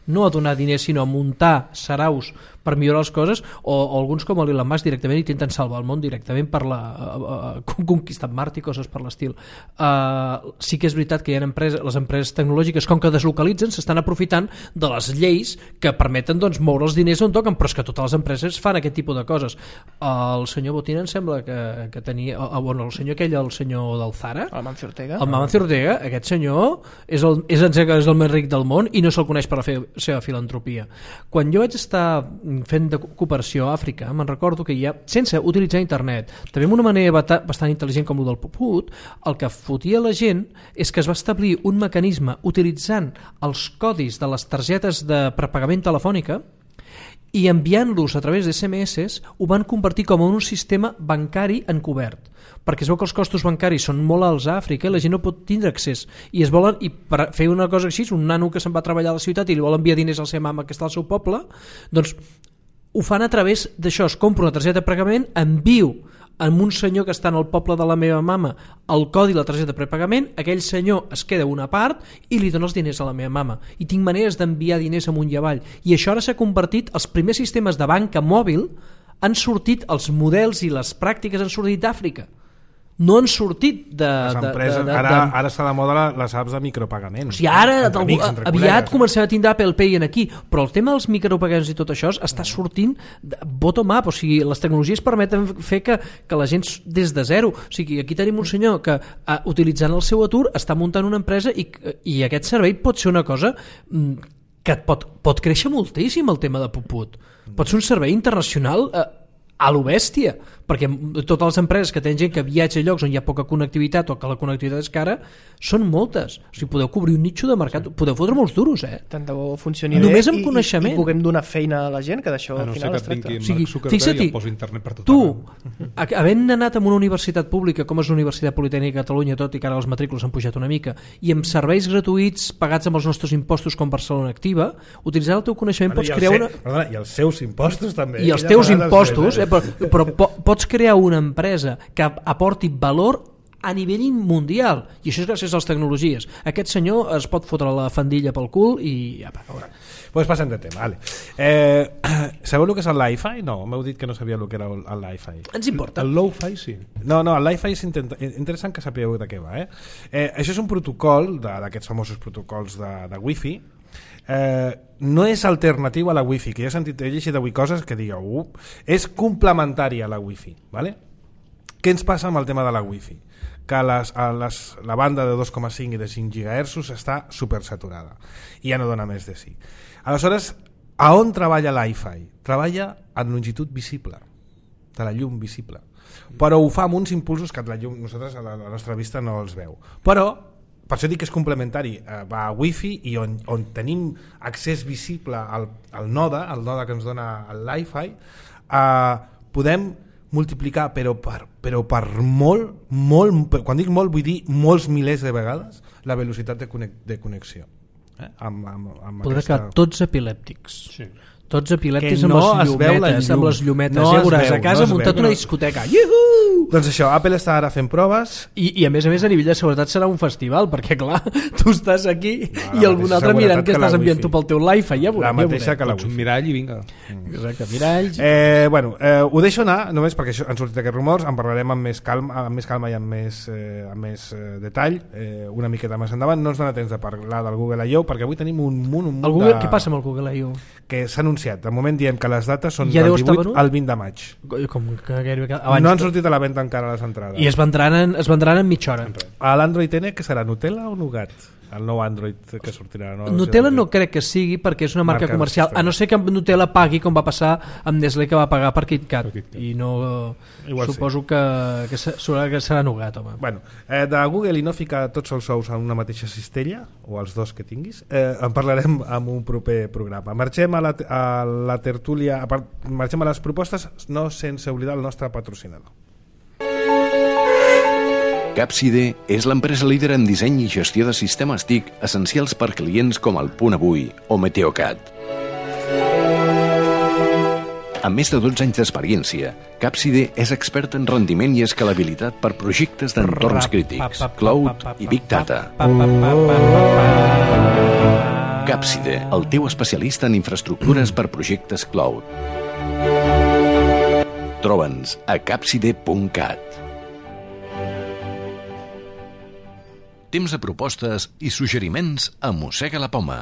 Speaker 3: no a donar diners sinó a muntar saraus per millorar les coses, o, o alguns com l'Elon Musk directament intenten salvar el món directament per la uh, uh, conquistar Mart i coses per l'estil. Uh, sí que és veritat que hi ha empreses, les empreses tecnològiques, com que deslocalitzen, s'estan aprofitant de les lleis que permeten doncs, moure els diners on toquen, però és que totes les empreses fan aquest tipus de coses. El senyor Botín em sembla que, que tenia... Uh, bueno, el senyor aquell, el senyor del Zara,
Speaker 5: el Mancio Ortega,
Speaker 3: el Mancio Ortega, aquest senyor és el, és, el, és el més ric del món i no se'l coneix per la fe, seva filantropia. Quan jo vaig estar fent de cooperació a Àfrica, me'n recordo que hi ha, sense utilitzar internet, també amb una manera bastant intel·ligent com el del Puput, el que fotia la gent és que es va establir un mecanisme utilitzant els codis de les targetes de prepagament telefònica i enviant-los a través de esse eme esse ho van convertir com en un sistema bancari encobert, perquè es veu que els costos bancaris són molt alts a Àfrica i la gent no pot tindre accés, i es volen, i per fer una cosa així, un nano que se'n va treballar a la ciutat i li vol enviar diners a la seva mama que està al seu poble, doncs ho fan a través d'això. Es compra una targeta de pagament, envio amb un senyor que està en el poble de la meva mama el codi de la targeta de prepagament, aquell senyor es queda una part i li dona els diners a la meva mama, i tinc maneres d'enviar diners amunt i avall, i això ara s'ha convertit, els primers sistemes de banca mòbil han sortit, els models i les pràctiques han sortit d'Àfrica, no han sortit de...
Speaker 2: Les empreses,
Speaker 3: de, de, de,
Speaker 2: ara,
Speaker 3: de...
Speaker 2: ara està de moda les apps de micropagament.
Speaker 3: O sigui, ara
Speaker 2: entre amics, entre
Speaker 3: aviat
Speaker 2: col·legues.
Speaker 3: comencem a tindre Apple Pay en aquí, però el tema dels micropagaments i tot això està sortint bottom up, o sigui, les tecnologies permeten fer que, que la gent des de zero, o sigui, aquí tenim un senyor que uh, utilitzant el seu atur està muntant una empresa i, i aquest servei pot ser una cosa que pot, pot créixer moltíssim, el tema de Puput. Pot ser un servei internacional uh, a lo bèstia, perquè totes les empreses que tenen gent que viatja a llocs on hi ha poca connectivitat o que la connectivitat és cara són moltes, o sigui, podeu cobrir un nicho de mercat, sí. podeu fotre molts duros, eh?
Speaker 5: Tant de bo funcioni
Speaker 3: només
Speaker 5: bé
Speaker 3: amb
Speaker 5: i,
Speaker 3: coneixement.
Speaker 5: i, i puguem donar feina a la gent, que d'això
Speaker 1: a no
Speaker 5: al final
Speaker 1: ser
Speaker 5: es
Speaker 1: que
Speaker 5: tracta.
Speaker 1: vingui
Speaker 3: O sigui,
Speaker 1: Mark Zuckerberg
Speaker 3: fixa-t'hi,
Speaker 1: i el posi internet per tot
Speaker 3: tu,
Speaker 1: arreu.
Speaker 3: havent anat en una universitat pública com és la Universitat Politècnica de Catalunya, tot i que ara les matrícules han pujat una mica, i amb serveis gratuïts pagats amb els nostres impostos com Barcelona Activa, utilitzant el teu coneixement pots crear una...
Speaker 2: Perdona, i els seus impostos també.
Speaker 3: I els teus impostos, eh, però, però po pots crear una empresa que aporti valor a nivell mundial, i això és gràcies a les tecnologies. Aquest senyor es pot fotre la fandilla pel cul i ja, veure.
Speaker 2: Pues passem de tema, vale. Eh, sabeu el que és el Li-Fi? No, m'heu dit que no sabia el que era el Li-Fi.
Speaker 3: Ens importa.
Speaker 1: El low-fi sí.
Speaker 2: No, no, el Li-Fi és interessant que sapigueu de què va. Eh? Eh, això és un protocol d'aquests famosos protocols de, de Wi-Fi. Eh, no és alternatiu a la Wi-Fi, que jo he sentit he llegit avui coses que digueu, uh, és complementari a la Wi-Fi, vale? Què ens passa amb el tema de la Wi-Fi? Que les, a les, la banda de dos coma cinc i de cinc gigahertzs està supersaturada i ja no dona més de sí. Aleshores, a on treballa l'I-Fi? Treballa en longitud visible, de la llum visible, però ho fa amb uns impulsos que la llum, nosaltres a la, a la nostra vista no els veu. Però per això dic que és complementari, eh, va a Wi-Fi i on, on tenim accés visible al, al node, al node que ens dona el Li-Fi, eh, podem multiplicar però per, però per molt, molt, quan dic molt vull dir molts milers de vegades la velocitat de, conec de connexió. Eh? Amb, amb, amb
Speaker 3: Podrà
Speaker 2: aquesta...
Speaker 3: quedar tots epilèptics. Sí. Tots epilèptics
Speaker 2: Que
Speaker 3: amb,
Speaker 2: no
Speaker 3: les
Speaker 2: es veu la
Speaker 3: llumetes,
Speaker 2: llum.
Speaker 3: amb les llumetes.
Speaker 2: No
Speaker 3: ja
Speaker 2: es
Speaker 3: veuràs,
Speaker 2: veu,
Speaker 3: a casa
Speaker 2: no es
Speaker 3: muntat
Speaker 2: veu,
Speaker 3: una
Speaker 2: no.
Speaker 3: discoteca. Iuhu!
Speaker 2: Doncs això, Apple està ara fent proves.
Speaker 3: I, I a més a més a nivell de seguretat serà un festival, perquè clar, tu estàs aquí
Speaker 2: No,
Speaker 3: i algun altre mirant que,
Speaker 2: que la
Speaker 3: estàs enviant
Speaker 2: Wi-Fi.
Speaker 3: tu pel teu Li-Fi. Ja veurem,
Speaker 2: La mateixa
Speaker 3: ja
Speaker 2: que la
Speaker 1: Pots un
Speaker 2: Wi-Fi.
Speaker 1: mirall i vinga.
Speaker 3: Exacte, miralls.
Speaker 2: Eh, bueno, eh, ho deixo anar només perquè això, han sortit aquests rumors, en parlarem amb més calma, amb més calma i amb més, eh, amb més eh, detall eh, una miqueta més endavant. No ens dona temps de parlar del Google I O perquè avui tenim un munt, un munt
Speaker 3: El Google,
Speaker 2: de...
Speaker 3: Què passa amb el Google I O?
Speaker 2: Que s'ha anunciat. De moment diem que les dates són
Speaker 3: Ja
Speaker 2: del
Speaker 3: deu estar
Speaker 2: divuit
Speaker 3: venut?
Speaker 2: al vint de maig.
Speaker 3: Com que gairebé cada- abans
Speaker 2: No han sortit a la venda encara les entrades.
Speaker 3: I es vendran en, es vendran en mitja hora.
Speaker 2: A l'Android N, que serà Nutella o Nougat? El nou Android que sortirà. No?
Speaker 3: Nutella no crec que sigui perquè és una marca,
Speaker 2: Marca
Speaker 3: comercial, a no ser que Nutella pagui com va passar amb Nestlé que va pagar per KitKat,
Speaker 1: Per KitKat.
Speaker 3: i no
Speaker 2: Igual
Speaker 3: suposo que, que, se- serà, que serà nougat, home.
Speaker 2: Bueno, eh, de Google i no ficar tots els ous en una mateixa cistella, o els dos que tinguis, eh, en parlarem en un proper programa. Marxem a la, a la tertúlia, a part, marxem a les propostes, no sense oblidar el nostre patrocinador.
Speaker 4: Capside és l'empresa líder en disseny i gestió de sistemes T I C essencials per clients com el Punt Avui o Meteocat. Amb més de dotze anys d'experiència, Capside és expert en rendiment i escalabilitat per projectes d'entorns crítics, cloud i big data. Capside, el teu especialista en infraestructures per projectes cloud. Troba'ns a capside punt cat. Temps de propostes i suggeriments a Mossega la Poma.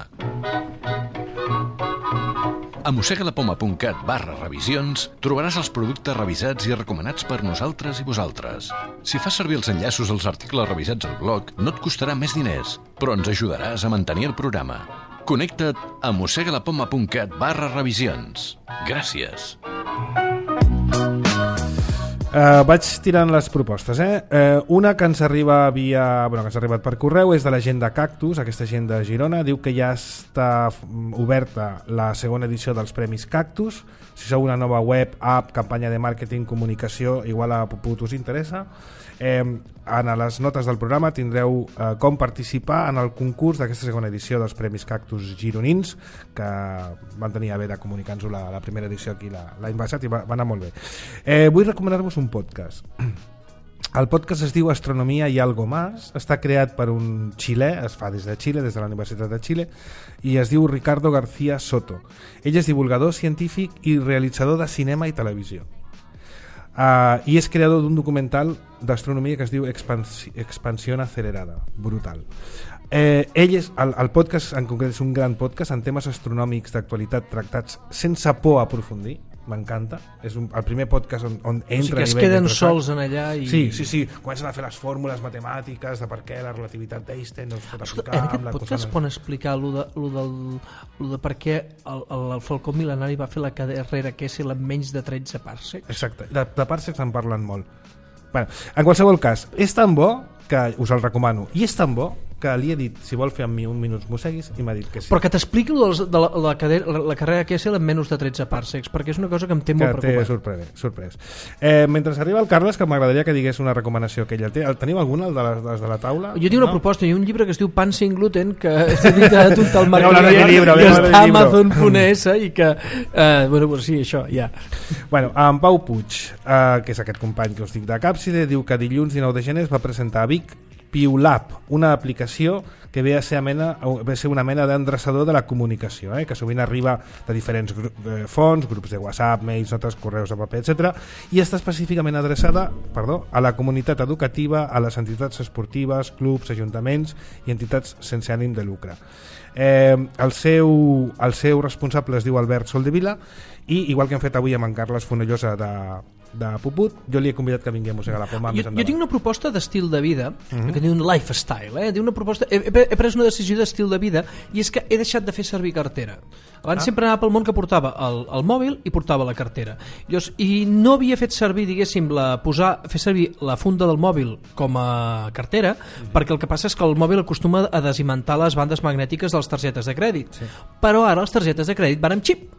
Speaker 4: A mossegalapoma.cat barra revisions trobaràs els productes revisats i recomanats per nosaltres i vosaltres. Si fas servir els enllaços als articles revisats al blog, no et costarà més diners, però ens ajudaràs a mantenir el programa. Connecta't a mossegalapoma.cat barra revisions. Gràcies.
Speaker 2: Uh, vaig tirant les propostes, eh? Uh, una que ens arriba via, bueno, que ens ha arribat per correu és de la gent de Cactus, aquesta gent de Girona. Diu que ja està oberta la segona edició dels Premis Cactus. Si sou una nova web, app, campanya de màrqueting, comunicació, igual a Puput us interessa. Eh, en les notes del programa tindreu eh, com participar en el concurs d'aquesta segona edició dels Premis Cactus gironins, que van tenir a bé de comunicar-nos la, la primera edició aquí l'any passat i va, va anar molt bé. Eh, vull recomanar-vos un podcast. El podcast es diu Astronomia i algo más, està creat per un xilè, es fa des de Xile, des de la Universitat de Xile, i es diu Ricardo García Soto. Ell és divulgador científic i realitzador de cinema i televisió. Uh, i és creador d'un documental d'astronomia que es diu Expansi Expansión Acelerada, brutal. Eh, ell és, el, el podcast en concret és un gran podcast en temes astronòmics d'actualitat tractats sense por a aprofundir, m'encanta. És un, el primer podcast on, on entra
Speaker 3: o sigui que
Speaker 2: a
Speaker 3: es
Speaker 2: nivell
Speaker 3: queden
Speaker 2: d'entresac.
Speaker 3: sols en allà i...
Speaker 2: Sí, sí, sí, comencen a fer les fórmules matemàtiques de per què la relativitat d'Einstein no es pot aplicar
Speaker 3: En aquest
Speaker 2: amb la
Speaker 3: podcast
Speaker 2: cosa...
Speaker 3: poden explicar lo de, lo del, lo de per què el, el, el Falcó Mil·lenari va fer la carrera Kessel amb menys de tretze parsecs?
Speaker 2: Exacte, de, de parsecs en parlen molt. Bueno, en qualsevol cas, és tan bo que us el recomano, i és tan bo que li he dit si vol fer amb mi un minuts Museguis i m'ha dit que sí.
Speaker 3: Però que t'expliqui de la, la, cadera, la, la carrera Kessel amb menys de tretze parsecs, perquè és una cosa que em té molt
Speaker 2: que té
Speaker 3: preocupat.
Speaker 2: sorprès, sorprès. Eh, mentre arriba el Carles, que m'agradaria que digués una recomanació que ella té. El teniu alguna, el de les, les de la taula?
Speaker 3: Jo tinc una
Speaker 2: no?
Speaker 3: proposta, hi ha un llibre que es diu Pan sin gluten, que és editat tot el Marc
Speaker 2: hablar de
Speaker 3: Client,
Speaker 2: libro,
Speaker 3: que
Speaker 2: hablar de
Speaker 3: està a
Speaker 2: libro.
Speaker 3: Amazon punt es i que... Eh, bueno, pues sí, això, ja.
Speaker 2: Bueno, en Pau Puig, eh, que és aquest company que us dic de Càpside, diu que dilluns dinou de gener es va presentar a Vic PiuLab, una aplicació que ve a ser, mena, ve a ser una mena d'endreçador de la comunicació, eh? que sovint arriba de diferents gru eh, fonts, grups de WhatsApp, mails, notes, correus de paper, etcètera, i està específicament adreçada perdó, a la comunitat educativa, a les entitats esportives, clubs, ajuntaments i entitats sense ànim de lucre. Eh, el, seu, el seu responsable es diu Albert Soldevila i igual que hem fet avui amb en Carles Fonollosa de, de Puput, jo li he convidat que vingui a Mossegar la Poma
Speaker 3: Jo,
Speaker 2: més
Speaker 3: jo
Speaker 2: endavant.
Speaker 3: tinc una proposta d'estil de vida, uh
Speaker 2: Mhm.
Speaker 3: -huh. que diu un lifestyle, eh? Diu una proposta, he, he pres una decisió d'estil de vida i és que he deixat de fer servir cartera. Abans ah. sempre anava pel món que portava el, el mòbil i portava la cartera. Llavors, i no havia fet servir, diguéssim, la, posar, fer servir la funda del mòbil com a cartera, mm. perquè el que passa és que el mòbil acostuma a desimantar les bandes magnètiques de les targetes de crèdit. Sí. Però ara les targetes de crèdit van amb xip.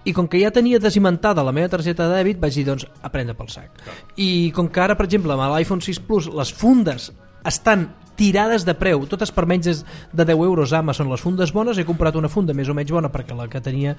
Speaker 3: I com que ja tenia desimentada la meva targeta de dèbit, vaig dir, doncs, a prendre pel sac. Clar. I com que ara, per exemple, amb l'iPhone sis Plus les fundes estan tirades de preu, totes per menys de deu euros a Amazon, les fundes bones, he comprat una funda més o menys bona perquè la que tenia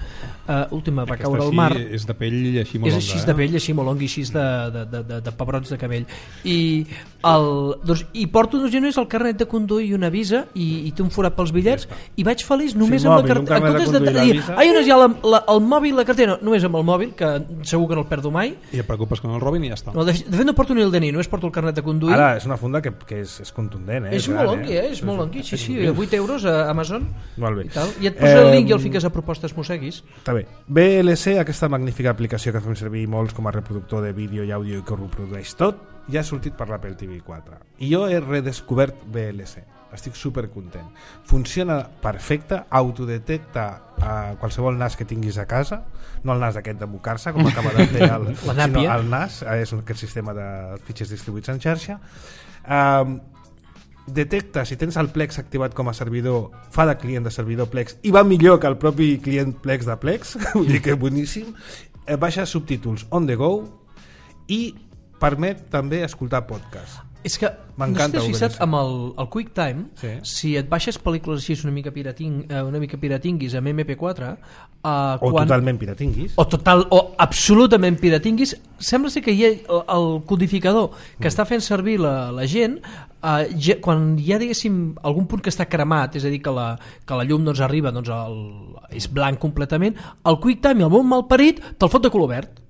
Speaker 3: uh, última va caure al mar.
Speaker 1: És de pell així molt
Speaker 3: és
Speaker 1: longa.
Speaker 3: així
Speaker 1: eh?
Speaker 3: de pell, així molt longa i així de, de, de, de, de pebrots de cabell. I, el, doncs, i porto dos genolls el carnet de conduir i una visa i, i té un forat pels bitllets ja i vaig feliç només
Speaker 2: sí,
Speaker 3: amb
Speaker 2: mòbil,
Speaker 3: la cartera. En comptes de, de dir, ai, on és ja la, la, el mòbil, la cartera, no, només amb el mòbil, que segur que no el perdo mai.
Speaker 1: I et preocupes que no el robin i ja està.
Speaker 3: No, de, de fet no porto ni el D N I, només porto el carnet de conduir.
Speaker 2: Ara, és una funda que, que és, és contundent, eh?
Speaker 3: És
Speaker 2: gran,
Speaker 3: molt longui, eh? És molt longui, sí, sí, vuit euros a Amazon.
Speaker 2: Molt bé.
Speaker 3: I, tal. I et posa el
Speaker 2: Eh,
Speaker 3: link i el fiques a propostes Museguis.
Speaker 2: Està bé. B L C, aquesta magnífica aplicació que fem servir molts com a reproductor de vídeo i àudio i que ho reprodueix tot, ja ha sortit per l'Apple T V quatre. I jo he redescobert B L C. Estic super content. Funciona perfecte, autodetecta a qualsevol nas que tinguis a casa, no el nas aquest de mocar-se, com acaba de fer el, sinó el nas, és aquest sistema de fitxers distribuïts en xarxa. Um, detecta si tens el Plex activat com a servidor, fa de client de servidor Plex i va millor que el propi client Plex de Plex, vull dir que boníssim. Eh, baixa subtítols on the go i permet també escoltar podcast.
Speaker 3: És que, no sé si t'has fixat, amb el, el QuickTime, sí. Si et baixes pel·lícules així una mica, pirating, una mica piratinguis amb M P quatre... Uh,
Speaker 2: o quan, totalment piratinguis.
Speaker 3: O, total, o absolutament piratinguis, sembla ser que hi ha el, el codificador que mm. està fent servir la, la gent, uh, ja, quan hi ha, diguéssim, algun punt que està cremat, és a dir, que la, que la llum doncs, arriba, doncs, el, és blanc completament, el QuickTime, el bon malparit, te'l fot de color verd.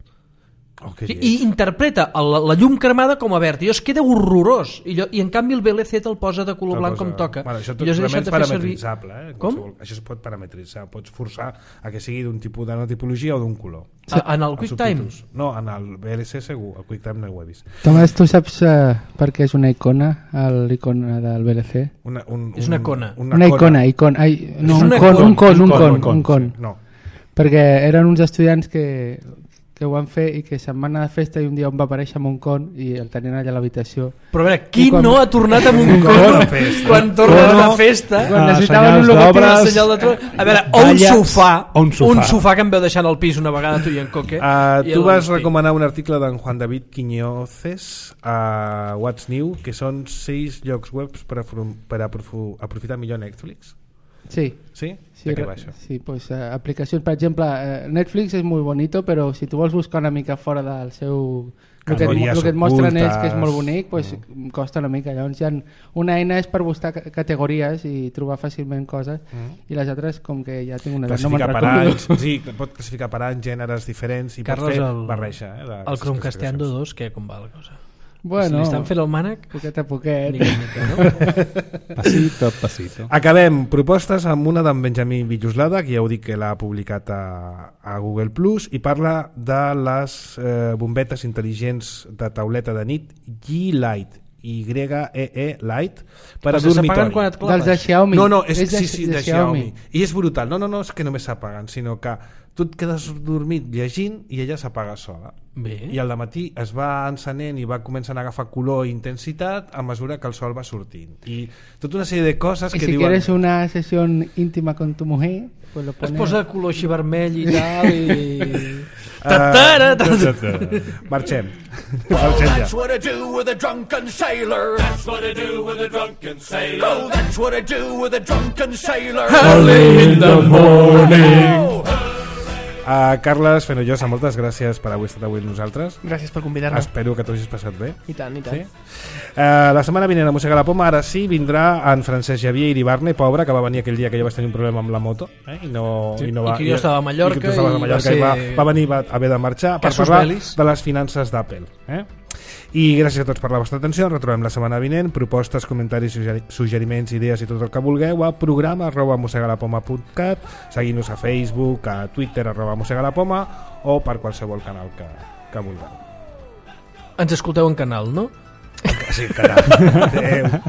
Speaker 2: Oh,
Speaker 3: I, i interpreta el, la llum cremada com a verd i es queda horrorós i, jo, i en canvi el B L C te'l posa de color blanc com toca.
Speaker 2: Bueno, això tot és parametritzable, eh? Com? Això es pot parametritzar, pots forçar a que sigui d'un tipus d'una tipologia o d'un color.
Speaker 3: Sí. En el QuickTime?
Speaker 2: No, en el B L C segur, el QuickTime no ho he vist.
Speaker 7: Tomàs, tu saps uh, per què és una icona l'icona del B L C?
Speaker 2: Una, un,
Speaker 3: és una icona.
Speaker 7: Una, una icona, icona. Ai, no, un, con, un con, un con, un con, un con. Sí, no. Perquè eren uns estudiants que que ho van fer i que se'n van anar de festa i un dia on va aparèixer amb un con i el tenien allà a l'habitació.
Speaker 3: Però a veure, qui quan... no ha tornat amb un con quan tornes de festa?
Speaker 7: Quan necessitaven un logotip,
Speaker 3: senyal de tro... A veure, o un sofà, un sofà, un sofà que em veu deixant al pis una vegada tu i en Coque.
Speaker 2: Uh, tu vas recomanar un article d'en Juan David Quiñoces a What's New, que són sis llocs web per, per aprofitar millor Netflix.
Speaker 7: Sí.
Speaker 2: ¿Sí?
Speaker 7: Sí,
Speaker 2: ¿De qué va eso?
Speaker 7: Sí, pues uh, aplicacions, per exemple, uh, Netflix és molt bonito, però si tu vols buscar una mica fora del seu... El que, el que et mostren ells, que és molt bonic, pues, mm. costa una mica. Llavors, hi ha una eina és per buscar categories i trobar fàcilment coses, mm. i les altres, com que ja tinc una...
Speaker 2: Classificar no per anys, sí, pot classificar per anys, gèneres diferents, i
Speaker 3: Carles,
Speaker 2: pot fer
Speaker 3: el,
Speaker 2: barreja. Eh,
Speaker 3: el Chromecasteando dos, què, com va la cosa?
Speaker 7: Bueno,
Speaker 3: si li estan fent el mànec...
Speaker 7: Poquet a poquet.
Speaker 3: Mica, mica, no?
Speaker 1: Passito, passito.
Speaker 2: Acabem propostes amb una d'en Benjamí Villoslada, que ja heu dit que l'ha publicat a, a Google Plus, i parla de les eh, bombetes intel·ligents de tauleta de nit G-Light, Y E E Light, per a dormitori.
Speaker 3: Quan et
Speaker 7: Dels de Xiaomi.
Speaker 2: No, no, és,
Speaker 7: és de,
Speaker 2: sí, sí, de, de Xiaomi. I és brutal. No, no, no, és que només s'apaguen, sinó que tu et quedes dormit llegint i ella s'apaga sola.
Speaker 3: Bé.
Speaker 2: I al matí es va encenent i va començant a agafar color i intensitat a mesura que el sol va sortint. I tota una sèrie de coses
Speaker 7: I
Speaker 2: que
Speaker 7: si
Speaker 2: diuen...
Speaker 7: quieres una sessió íntima con tu mujer, pues lo
Speaker 3: Es
Speaker 7: pones...
Speaker 3: posa color així vermell i tal i...
Speaker 2: Uh, marxem. Marxem ja.
Speaker 8: That's what I do with a drunken sailor. That's what I do with a drunken sailor. Oh, that's what I do with a drunken sailor.
Speaker 3: Early in the morning.
Speaker 2: Uh, Carles Fenollosa, moltes gràcies per haver estat avui amb nosaltres.
Speaker 5: Gràcies per convidar-me.
Speaker 2: Espero que t'ho hagis passat bé.
Speaker 5: I tant, i tant.
Speaker 2: Sí? Uh, la setmana vinent a Mossega la Poma, ara sí, vindrà en Francesc Xavier Iribarne, pobre, que va venir aquell dia que jo vaig tenir un problema amb la moto, eh? I, no,
Speaker 3: Sí.
Speaker 2: i, no va,
Speaker 3: I que jo estava a Mallorca
Speaker 2: i, que tu estaves a
Speaker 3: i va
Speaker 2: Mallorca i va,
Speaker 3: ser-
Speaker 2: va venir, va haver de marxar per
Speaker 3: Casus
Speaker 2: parlar
Speaker 3: bellis.
Speaker 2: de les finances d'Apple. Eh? I gràcies a tots per la vostra atenció. Ens retrobem la setmana vinent. Propostes, comentaris, suggeri suggeriments, idees i tot el que vulgueu a programa arroba mossegalapoma punt cat. Seguim-nos a Facebook, a Twitter arroba mossegalapoma o per qualsevol canal que, que vulgueu.
Speaker 3: Ens escolteu en canal, no?
Speaker 2: Sí, caram. Adéu.